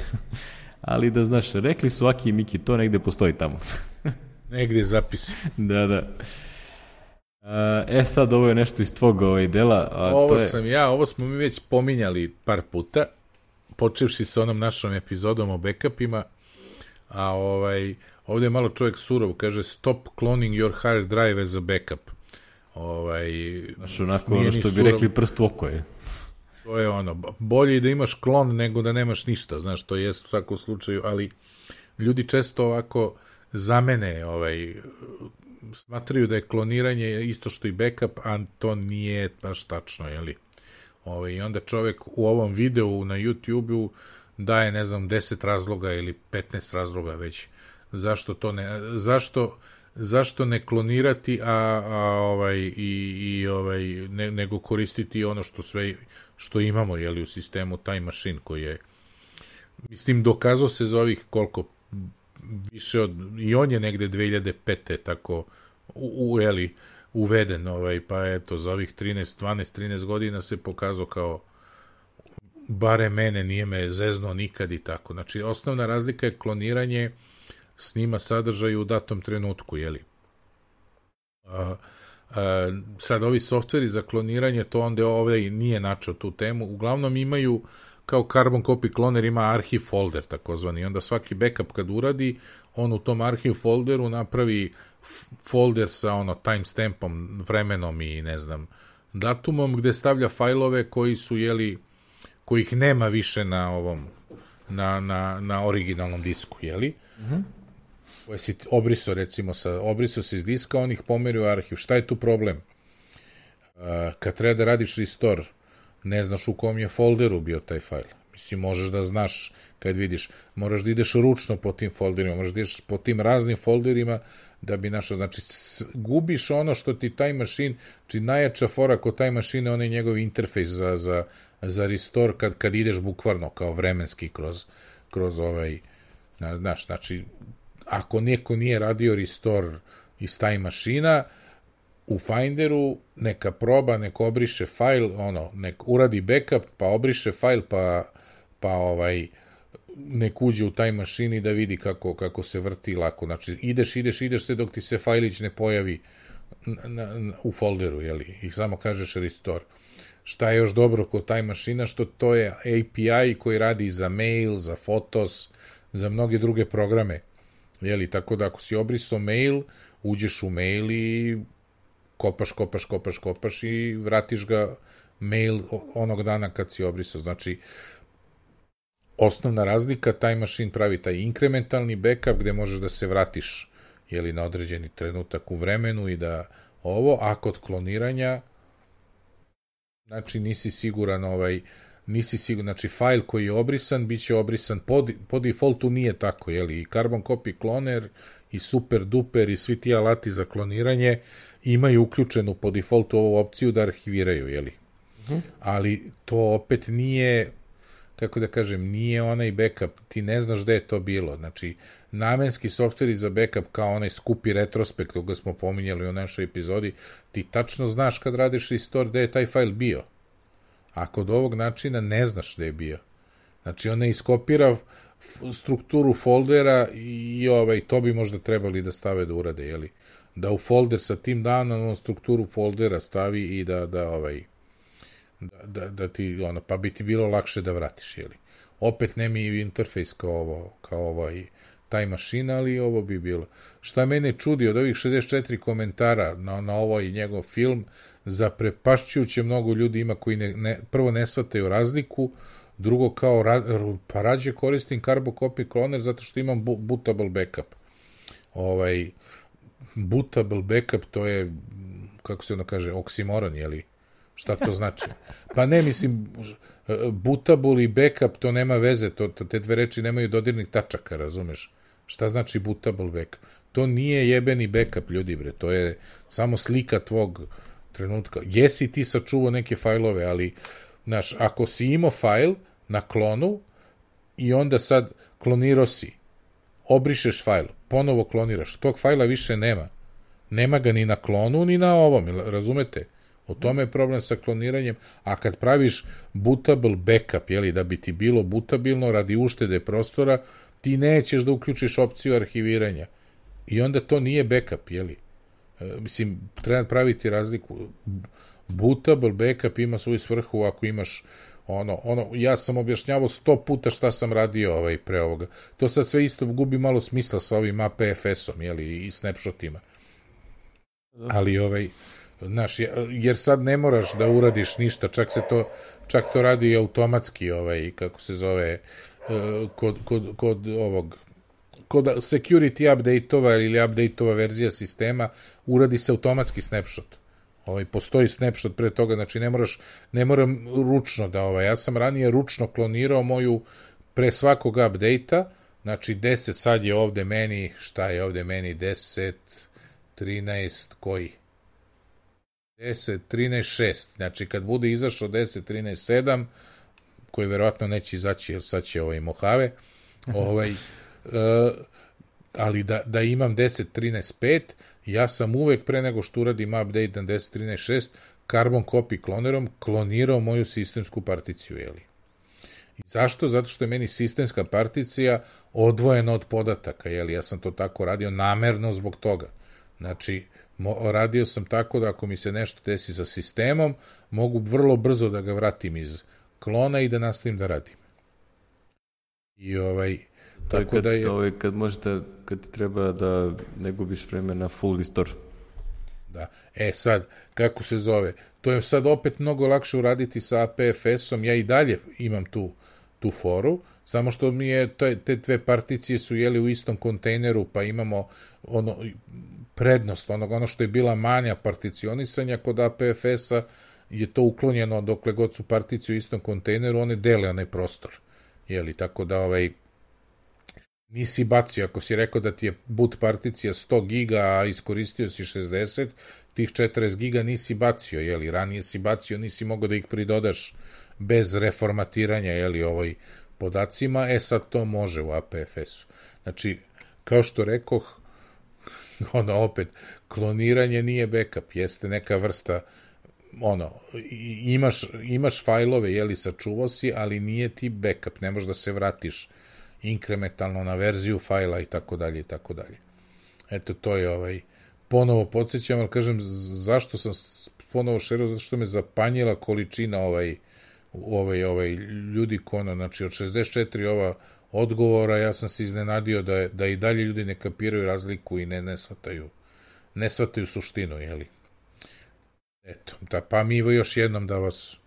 Ali da znaš, rekli su Aki i Miki, to negde postoji tamo. Negde zapisi. Da. Sad ovo je nešto iz tvog dela. Ovo smo mi već pominjali par puta, počevši sa onom našom epizodom o backupima, a ovde je malo čovjek surov, kaže stop cloning your hard drive as a backup. Znaš, onako što bi rekli prst u oko je. To je bolje i da imaš klon nego da nemaš ništa, znaš, to jest u svakom slučaju, ali ljudi često ovako zamene, smatraju da je kloniranje isto što i backup, a to nije baš tačno, jeli? I onda čovjek u ovom videu na YouTube-u daje, ne znam, 10 razloga ili 15 razloga već, zašto ne klonirati, nego koristiti ono što imamo, jeli, u sistemu Time Machine, koji je, mislim, dokazao se za ovih koliko, više i on je negde 2005. tako uveden, pa eto, za ovih 13 godina se pokazao kao, bare mene, nije me zeznuo nikad i tako. Znači, osnovna razlika je kloniranje snima sadržaj u datom trenutku, jeli? Sad, ovi softveri za kloniranje, to onda nije načeo tu temu, uglavnom imaju, kao Carbon Copy Cloner ima arhiv folder, takozvani, i onda svaki backup kad uradi, on u tom arhiv folderu napravi folder sa timestampom, vremenom i, ne znam, datumom, gde stavlja fajlove koji su, jeli, kojih nema više na originalnom disku, jeli? Koje si obrisao, recimo, obrisao si iz diska, on ih pomeri u arhiv. Šta je tu problem? Kad treba da radiš restore, ne znaš u kom je folderu bio taj fajl. Mislim, možeš da znaš kad vidiš, moraš da ideš ručno po tim folderima, možeš da ideš po tim raznim folderima da bi našao, znači, gubiš ono što ti Time Machine, znači najjača fora kod Time Machine, on je njegov interfejs za restore kad ideš bukvalno kao vremenski Znaš, znači, ako neko nije radio restore iz Time Machine-a, u Finderu neka proba, neka obriše fajl, nek uradi backup, pa obriše fajl, pa nek uđe u Time Machine i da vidi kako se vrti lako. Znači, ideš sve dok ti se fajlić ne pojavi u folderu, jeli, i samo kažeš restore. Šta je još dobro kod Time Machine-a, što to je API koji radi za mail, za fotos, za mnoge druge programe, jeli, tako da ako si obrisao mail, uđeš u mail i kopaš i vratiš ga mail onog dana kad si obrisao. Znači, osnovna razlika, Time Machine pravi taj inkrementalni backup gde možeš da se vratiš, jeli, na određeni trenutak u vremenu i da a kod kloniranja, znači nisi siguran, znači fajl koji je obrisan, bit će obrisan, po defaultu nije tako, jeli, i Carbon Copy Cloner i Super Duper i svi ti alati za kloniranje imaju uključenu po defaultu ovu opciju da arhiviraju, jeli. Ali to opet nije, kako da kažem, nije onaj backup, ti ne znaš gde je to bilo, znači namenski softveri za backup kao onaj skupi retrospekt koga smo pominjali u našoj epizodi, ti tačno znaš kad radiš restore gde je taj fajl bio, a kod ovog načina ne znaš gde je bio. Znači on ne iskopira strukturu foldera i to bi možda trebali da stave da urade, jeli, da u folder sa tim danom strukturu foldera stavi i da ti, pa bi ti bilo lakše da vratiš, jeli. Opet nema i interfejs kao Time Machine, ali ovo bi bilo. Šta mene čudi od ovih 64 komentara na ovaj njegov film, zaprepašćujuće mnogo ljudi ima koji prvo ne shvataju razliku, drugo kao, pa rađe koristim Carbon Copy Cloner zato što imam bootable backup. Bootable backup, to je, kako se ono kaže, oksimoron, jeli? Šta to znači? Pa ne, mislim, bootable i backup, to nema veze, te dve reči nemaju dodirnih tačaka, razumeš? Šta znači bootable backup? To nije jebeni backup, ljudi, bre, to je samo slika tvog trenutka. Jesi ti sačuvao neke fajlove, ali, znaš, ako si imao fajl na klonu i onda sad klonirao si, obrišeš fajl, ponovo kloniraš, tog fajla više nema. Nema ga ni na klonu, ni na ovom, razumete? O tome je problem sa kloniranjem, a kad praviš bootable backup, jeli, da bi ti bilo bootabilno radi uštede prostora, ti nećeš da uključiš opciju arhiviranja. I onda to nije backup, jeli. Mislim, treba praviti razliku. Bootable backup ima svoju svrhu ako imaš ja sam objašnjavao 100 puta šta sam radio pre ovoga. To sad sve isto gubi malo smisla sa ovim APFS-om, jeli, i snapshotima. Ali znaš, jer sad ne moraš da uradiš ništa, čak to radi automatski, kako se zove, kod security update-ova ili update-ova verzija sistema, uradi se automatski snapshot. Postoji snapshot pre toga, znači ne moram ručno ja sam ranije ručno klonirao moju pre svakog update-a, znači 10, sad je ovde meni, šta je ovde meni, 10, 13, koji? 10, 13, 6. Znači, kad bude izašao 10, 13, 7, koji verovatno neće izaći, jer sad će Mojave, ali da imam 10, 13, 5, ja sam uvek pre nego što uradim update na 10, 13, 6, Carbon Copy Clonerom klonirao moju sistemsku particiju, jeli. I zašto? Zato što je meni sistemska particija odvojena od podataka, jeli. Ja sam to tako radio namerno zbog toga. Znači, radio sam tako da ako mi se nešto desi sa sistemom, mogu vrlo brzo da ga vratim iz klona i da nastavim da radim. I tako da je... kad možete, kad ti treba da ne gubiš vreme na full restore. Da. Sad, kako se zove? To je sad opet mnogo lakše uraditi sa APFS-om, ja i dalje imam tu foru, samo što mi je, te dve particije su jeli u istom kontejneru, pa imamo prednost, ono što je bila manja particionisanja kod APFS-a, je to uklonjeno dokle god su particije u istom kontejneru, one dele onaj prostor. Jeli, tako da nisi bacio, ako si rekao da ti je boot particija 100 giga, a iskoristio si 60, tih 40 giga nisi bacio, jeli, ranije si bacio, nisi mogao da ih pridodaš bez reformatiranja, jeli, podacima, sad to može u APFS-u. Znači, kao što rekoh, opet, kloniranje nije backup, jeste neka vrsta, imaš fajlove, sačuvao si, ali nije ti backup, ne možeš da se vratiš inkrementalno na verziju fajla i tako dalje i tako dalje. Eto, to je ponovo podsjećam, ali kažem, zašto sam ponovo šerao, zato što me zapanjila količina ljudi znači od 64 odgovora, ja sam se iznenadio da i dalje ljudi ne kapiraju razliku i ne shvataju suštinu, Eto, pa mi još jednom da vas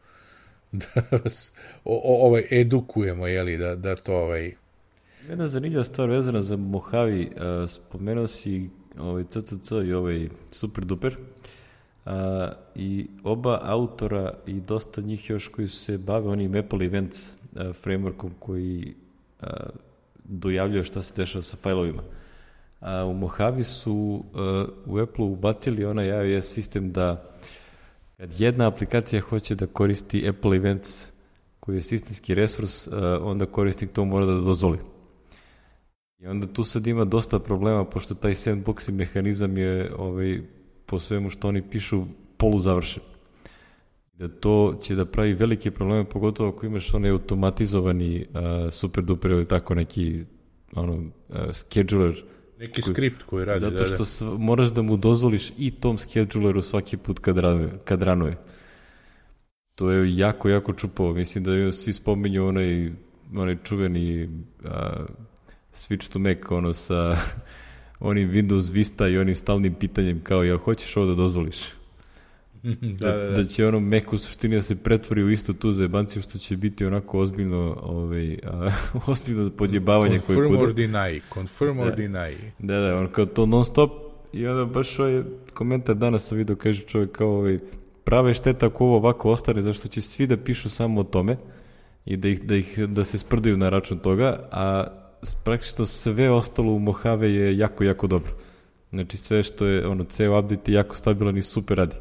edukujemo, da to Jedna zanimljiva stvar vezana za Mojave, spomenuo si CCC i Super Duper, i oba autora i dosta njih još koji su se bave onim Apple Events frameworkom koji dojavljuje šta se dešava sa fajlovima. U Mojave su u Apple ubacili onaj iOS sistem da kad jedna aplikacija hoće da koristi Apple Events koji je sistemski resurs, onda korisnik to mora da dozvoli. I onda tu sad ima dosta problema, pošto taj sandboxing mehanizam je po svemu što oni pišu poluzavršen. Da to će da pravi velike probleme, pogotovo ako imaš onaj automatizovani super duper ili tako neki scheduler. Neki skript koji radi. Zato što moraš da mu dozvoliš i tom scheduleru svaki put kad ranuje. To je jako, jako čupavo. Mislim da svi spominju onaj čuveni switch to Mac, sa onim Windows Vista i onim stalnim pitanjem kao, jel hoćeš ovo da dozvoliš? Da će Mac u suštini da se pretvori u isto tu zajebanciju, što će biti onako ozbiljno ozbiljno podjebavanje koje kuda. Confirm or deny. Da, on kao to non stop i onda baš komentar danas sam vidio, kaže čovjek kao prave šteta ako ovo ovako ostane, zašto će svi da pišu samo o tome i da se sprdaju na račun toga, a praktično sve ostalo u Mojave je jako, jako dobro. Znači sve što je, ceo update je jako stabilan i super radi.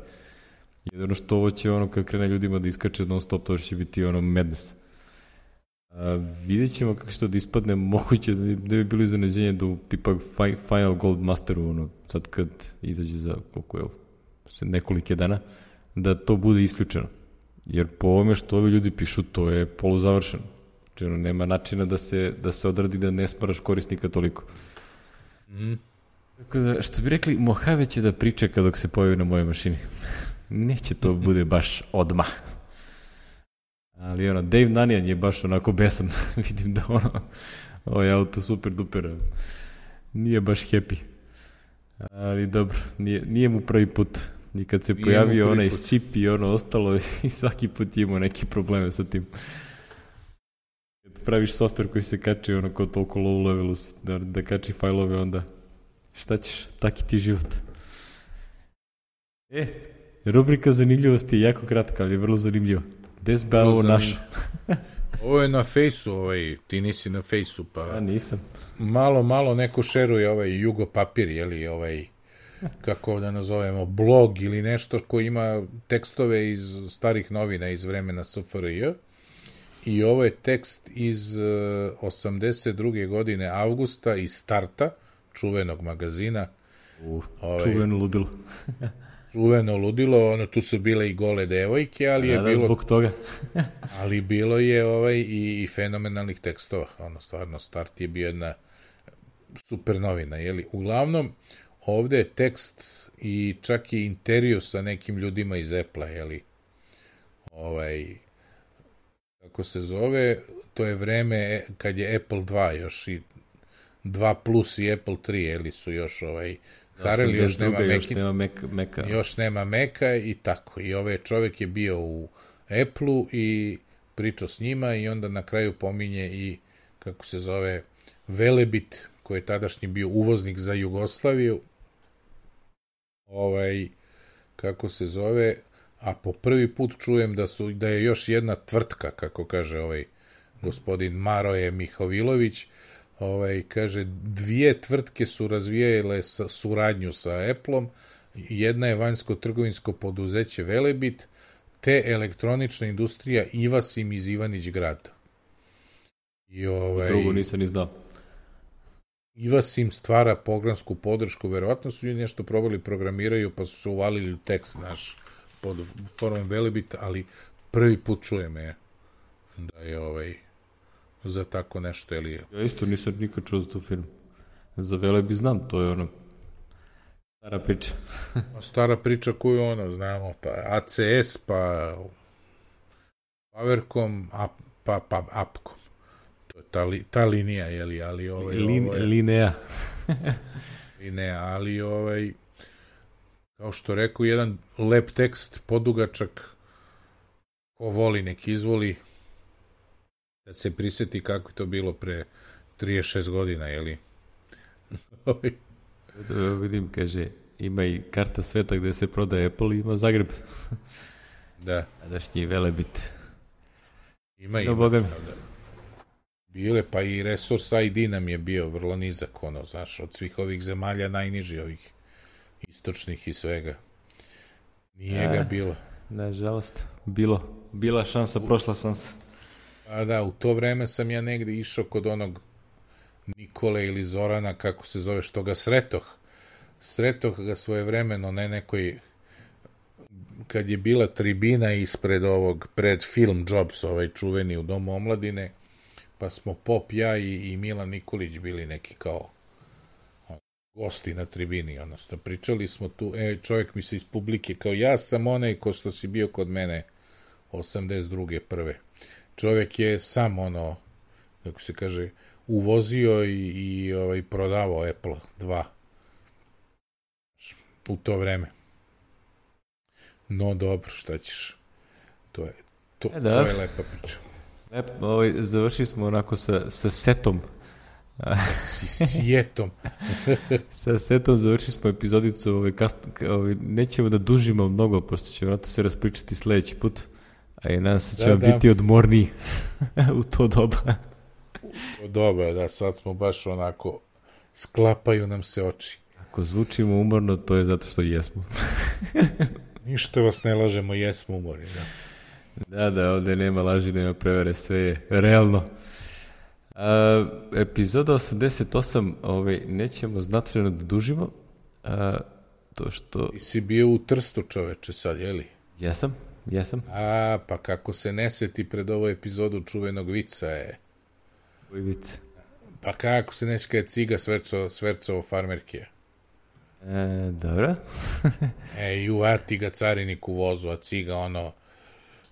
Jedino što ovo će kad krene ljudima da iskače non stop, to će biti madness. Vidjet ćemo kako što da ispadne, moguće da bi bilo iznenađenje da u tipa Final Gold Masteru, sad kad izađe za nekolike dana, da to bude isključeno. Jer po ovome što ovi ljudi pišu, to je poluzavršeno. Znači, nema načina da se odradi da ne smaraš korisnika toliko. Tako da, što bi rekli, Mojave će da pričeka dok se pojavi na mojoj mašini. Neće to bude baš odmah. Ali Dave Nanijan je baš onako besan. Vidim da ovaj auto super duper nije baš happy. Ali dobro, nije mu prvi put. I kad se pojavio onaj SIP i ostalo i svaki put imao neke probleme sa tim. Kad praviš software koji se kači kao toliko low levelu da kači fajlove, onda šta ćeš, taki ti život. Rubrika zanimljivosti je jako kratka, ali je vrlo zanimljiva. Gde si ba ovo našo? Ovo je na Fejsu, ti nisi na Fejsu, pa... Ja nisam. Malo neko šeruje Jugo papir, kako da nazovemo, blog ili nešto koji ima tekstove iz starih novina iz vremena SFRJ. I ovo je tekst iz 82. godine avgusta iz Starta, čuvenog magazina. Čuveno ludilo. Čuveno ludilo, tu su bile i gole devojke, ali je bilo... zbog toga. ali bilo je i fenomenalnih tekstova. Stvarno, Start je bio jedna super novina, Uglavnom, ovde je tekst i čak i intervju sa nekim ljudima iz Apple-a, kako se zove, to je vreme kad je Apple 2 još i 2 plus i Apple 3, su još Harrell, još nema Maca i tako. I čovjek je bio u Apple-u i pričao s njima i onda na kraju pominje i, kako se zove, Velebit, koji je tadašnji bio uvoznik za Jugoslaviju, kako se zove, a po prvi put čujem da je još jedna tvrtka, kako kaže gospodin Maroje Mihovilović, kaže, 2 tvrtke su razvijale suradnju sa Apple-om, jedna je vanjsko-trgovinsko poduzeće Velebit, te elektronična industrija Ivasim iz Ivanić grada. I drugo nisam ni znao. Ivas im stvara programsku podršku, verovatno su ljudi nešto probali, programiraju, pa su se uvalili u tekst naš pod formom Velebita, ali prvi put čujem da je za tako nešto, ili... Ja isto nisam nikad čuo za tu firmu. Za Velebit znam, to je stara priča. Stara priča koju znamo, pa ACS, pa Powercom, pa Upcom. To je ta linija, jeli, ali Linea. Linea, ali kao što rekao, jedan lep tekst, podugačak, ko voli, nek izvoli, da se priseti kako je to bilo pre 36 godina, jeli? Vidim, kaže, ima i karta sveta gde se prodaje Apple, ima Zagreb. Da. Adašnji Velebit. Ima. Boga mi. Bile, pa i Resource ID nam je bio vrlo nizak, znaš, od svih ovih zemalja najniži, ovih istočnih i svega. Nije ga bilo. Nažalost, bila šansa, prošla šansa. A da, u to vreme sam ja negde išao kod onog Nikole ili Zorana, kako se zove, što ga sretoh ga svojevremeno, ne nekoj, kad je bila tribina ispred pred film Jobs, čuveni u Domu omladine, pa smo Pop, ja i Milan Nikolić bili neki kao gosti na tribini, pričali smo tu, čovjek mi se iz publike, kao ja sam onaj ko što si bio kod mene 82. prve. Čovjek je sam kako se kaže, uvozio i prodavao Apple 2 u to vreme. No dobro, šta ćeš? To je lepa priča. Završili smo onako sa setom. Sjetom. Sa setom završili smo epizodicu. Nećemo da dužimo mnogo, pošto ćemo se raspričati sledeći put. A i nadam se će vam biti odmorniji u to doba. U to doba, da, sad smo baš onako, sklapaju nam se oči. Ako zvučimo umorno, to je zato što jesmo. Ništa vas ne lažemo, jesmo umorni, da. Da, ovde nema laži, nema prevere, sve je realno. Epizoda 88, nećemo značajno da dužimo. To što... Ti si bio u Trstu, čoveče, sad, jeli? Jesam. Pa kako se ne seti pred ovu epizodu čuvenog vica je... Koji vic? Pa kako se neće kada je Ciga svercovo farmerke? Dobro. Ti ga carinik u vozu, a Ciga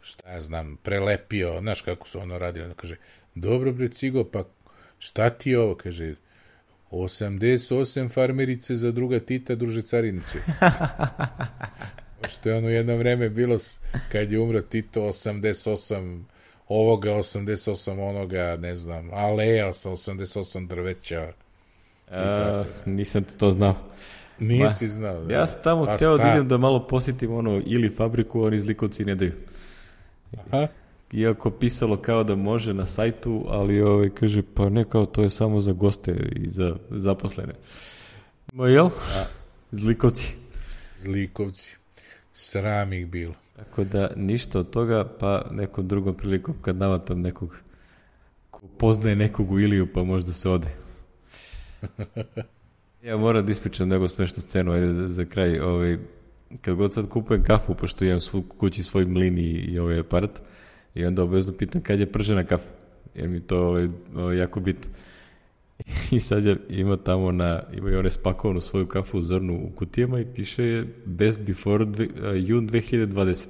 šta ja znam, prelepio, znaš kako su radili, kaže, dobro bre Cigo, pa šta ti je ovo, kaže, 88 farmerice za druga Tita, druže carinice. Što je jedno vreme bilo, kad je umro Tito, 88 ovoga, 88 onoga, ne znam, aleja sa 88 drveća. Nisam to znao. Nisi znao, da. Ja sam tamo hteo da idem da malo posjetim ili fabriku, oni zlikovci ne daju. Aha. Iako pisalo kao da može na sajtu, ali kaže, pa ne, kao to je samo za goste i za zaposlene. Jel? Zlikovci. Sram ih bilo. Tako da ništa od toga, pa nekom drugom prilikom kad navatam nekog ko poznaje nekog u Iliju, pa možda se ode. Ja moram da ispričam nego smešnu scenu, ajde za kraj. Kad god sad kupujem kafu, pošto imam kući svoj mlin i ovaj aparat, i onda obavezno pitam kad je pržena kafa, jer mi to jako bitno. I sad ima tamo ima i one spakovanu svoju kafu u zrnu u kutijama i piše je best before jun 2020.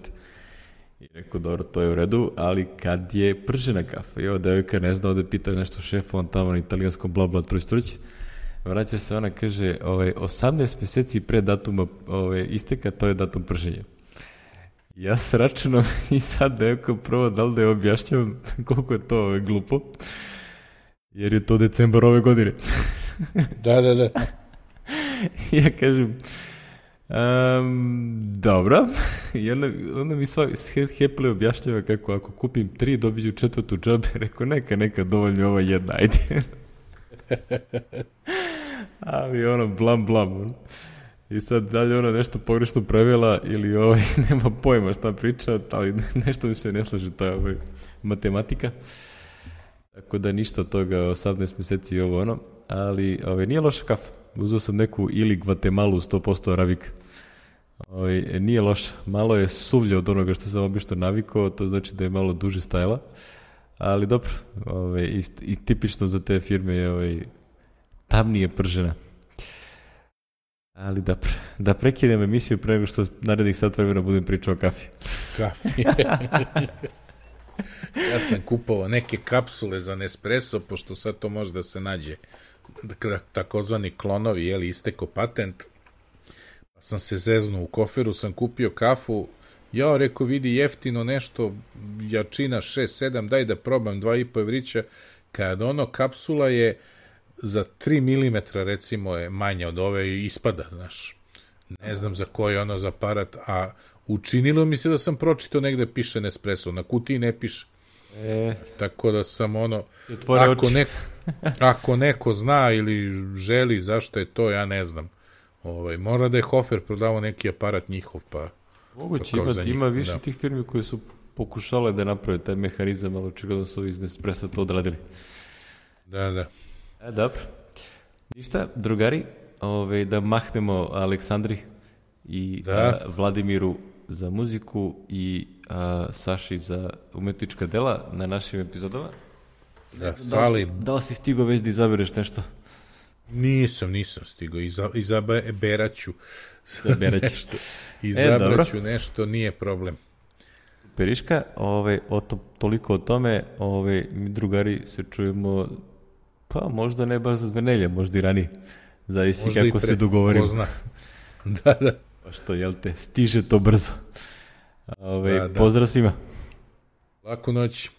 I rekao, dobro, to je u redu, ali kad je pržena kafa? I ova devojka ne zna, ovde pita nešto šefa, on tamo na italijanskom bla bla truć. Vraća se, ona kaže, 18 meseci pre datuma isteka, to je datum prženja. Ja se računam i sad devojka prvo da li da je objašnjavam koliko je to glupo. Jer je to decembar ove godine. Da. Ja kažem, dobro. I onda mi Heple objašnjava kako ako kupim 3, dobiću 4. džabe. Rekao, neka, dovoljno ova jedna, ajde. Ali blam. I sad dalje nešto pogrešno prevela ili nema pojma šta priča, ali nešto mi se ne slaže ta matematika. Tako da ništa od toga, 18 meseci i ovo ono, ali nije loša kafa. Uzeo sam neku ili Guatemalu 100% arabika. Nije loša, malo je suvlje od onoga što sam obično navikao, to znači da je malo duže stajala, ali dobro, i tipično za te firme je tamnije pržena. Ali da prekidem emisiju pre nego što narednih sat vremena budem pričao o kafi. Kafi. Ja sam kupovao neke kapsule za Nespresso, pošto sad to može da se nađe, takozvani klonovi, isteko patent. Pa sam se zeznuo, u koferu sam kupio kafu, ja rekao, vidi jeftino nešto, jačina 6-7, daj da probam 2,5 evrića, kad kapsula je za 3 mm recimo je manja od ove i ispada, znaš. Ne znam za koji je za aparat, a učinilo mi se da sam pročitao negde piše Nespresso, na kutiji ne piše. Tako da sam ako neko zna ili želi zašto je to, ja ne znam. Mora da je Hofer prodavao neki aparat njihov, pa... Moguće ima više tih firmi koje su pokušale da naprave taj mehanizam, ali očigledno su iz Nespressa to odradili. Da. Dobro. Ništa, drugari, da mahnemo Aleksandri i Vladimiru za muziku i Saši za umetnička dela na našim epizodama. Da li si stigao već da izabereš nešto? Nisam stigao, izaberaću nešto. Izabraću nešto, nije problem. Periška, toliko o tome, mi drugari se čujemo, pa možda ne baš za 2 nedelje, možda i ranije. Zavisi možda kako se dogovorimo. Da. Pa što, stiže to brzo. Pozdrav svima. Laku noć.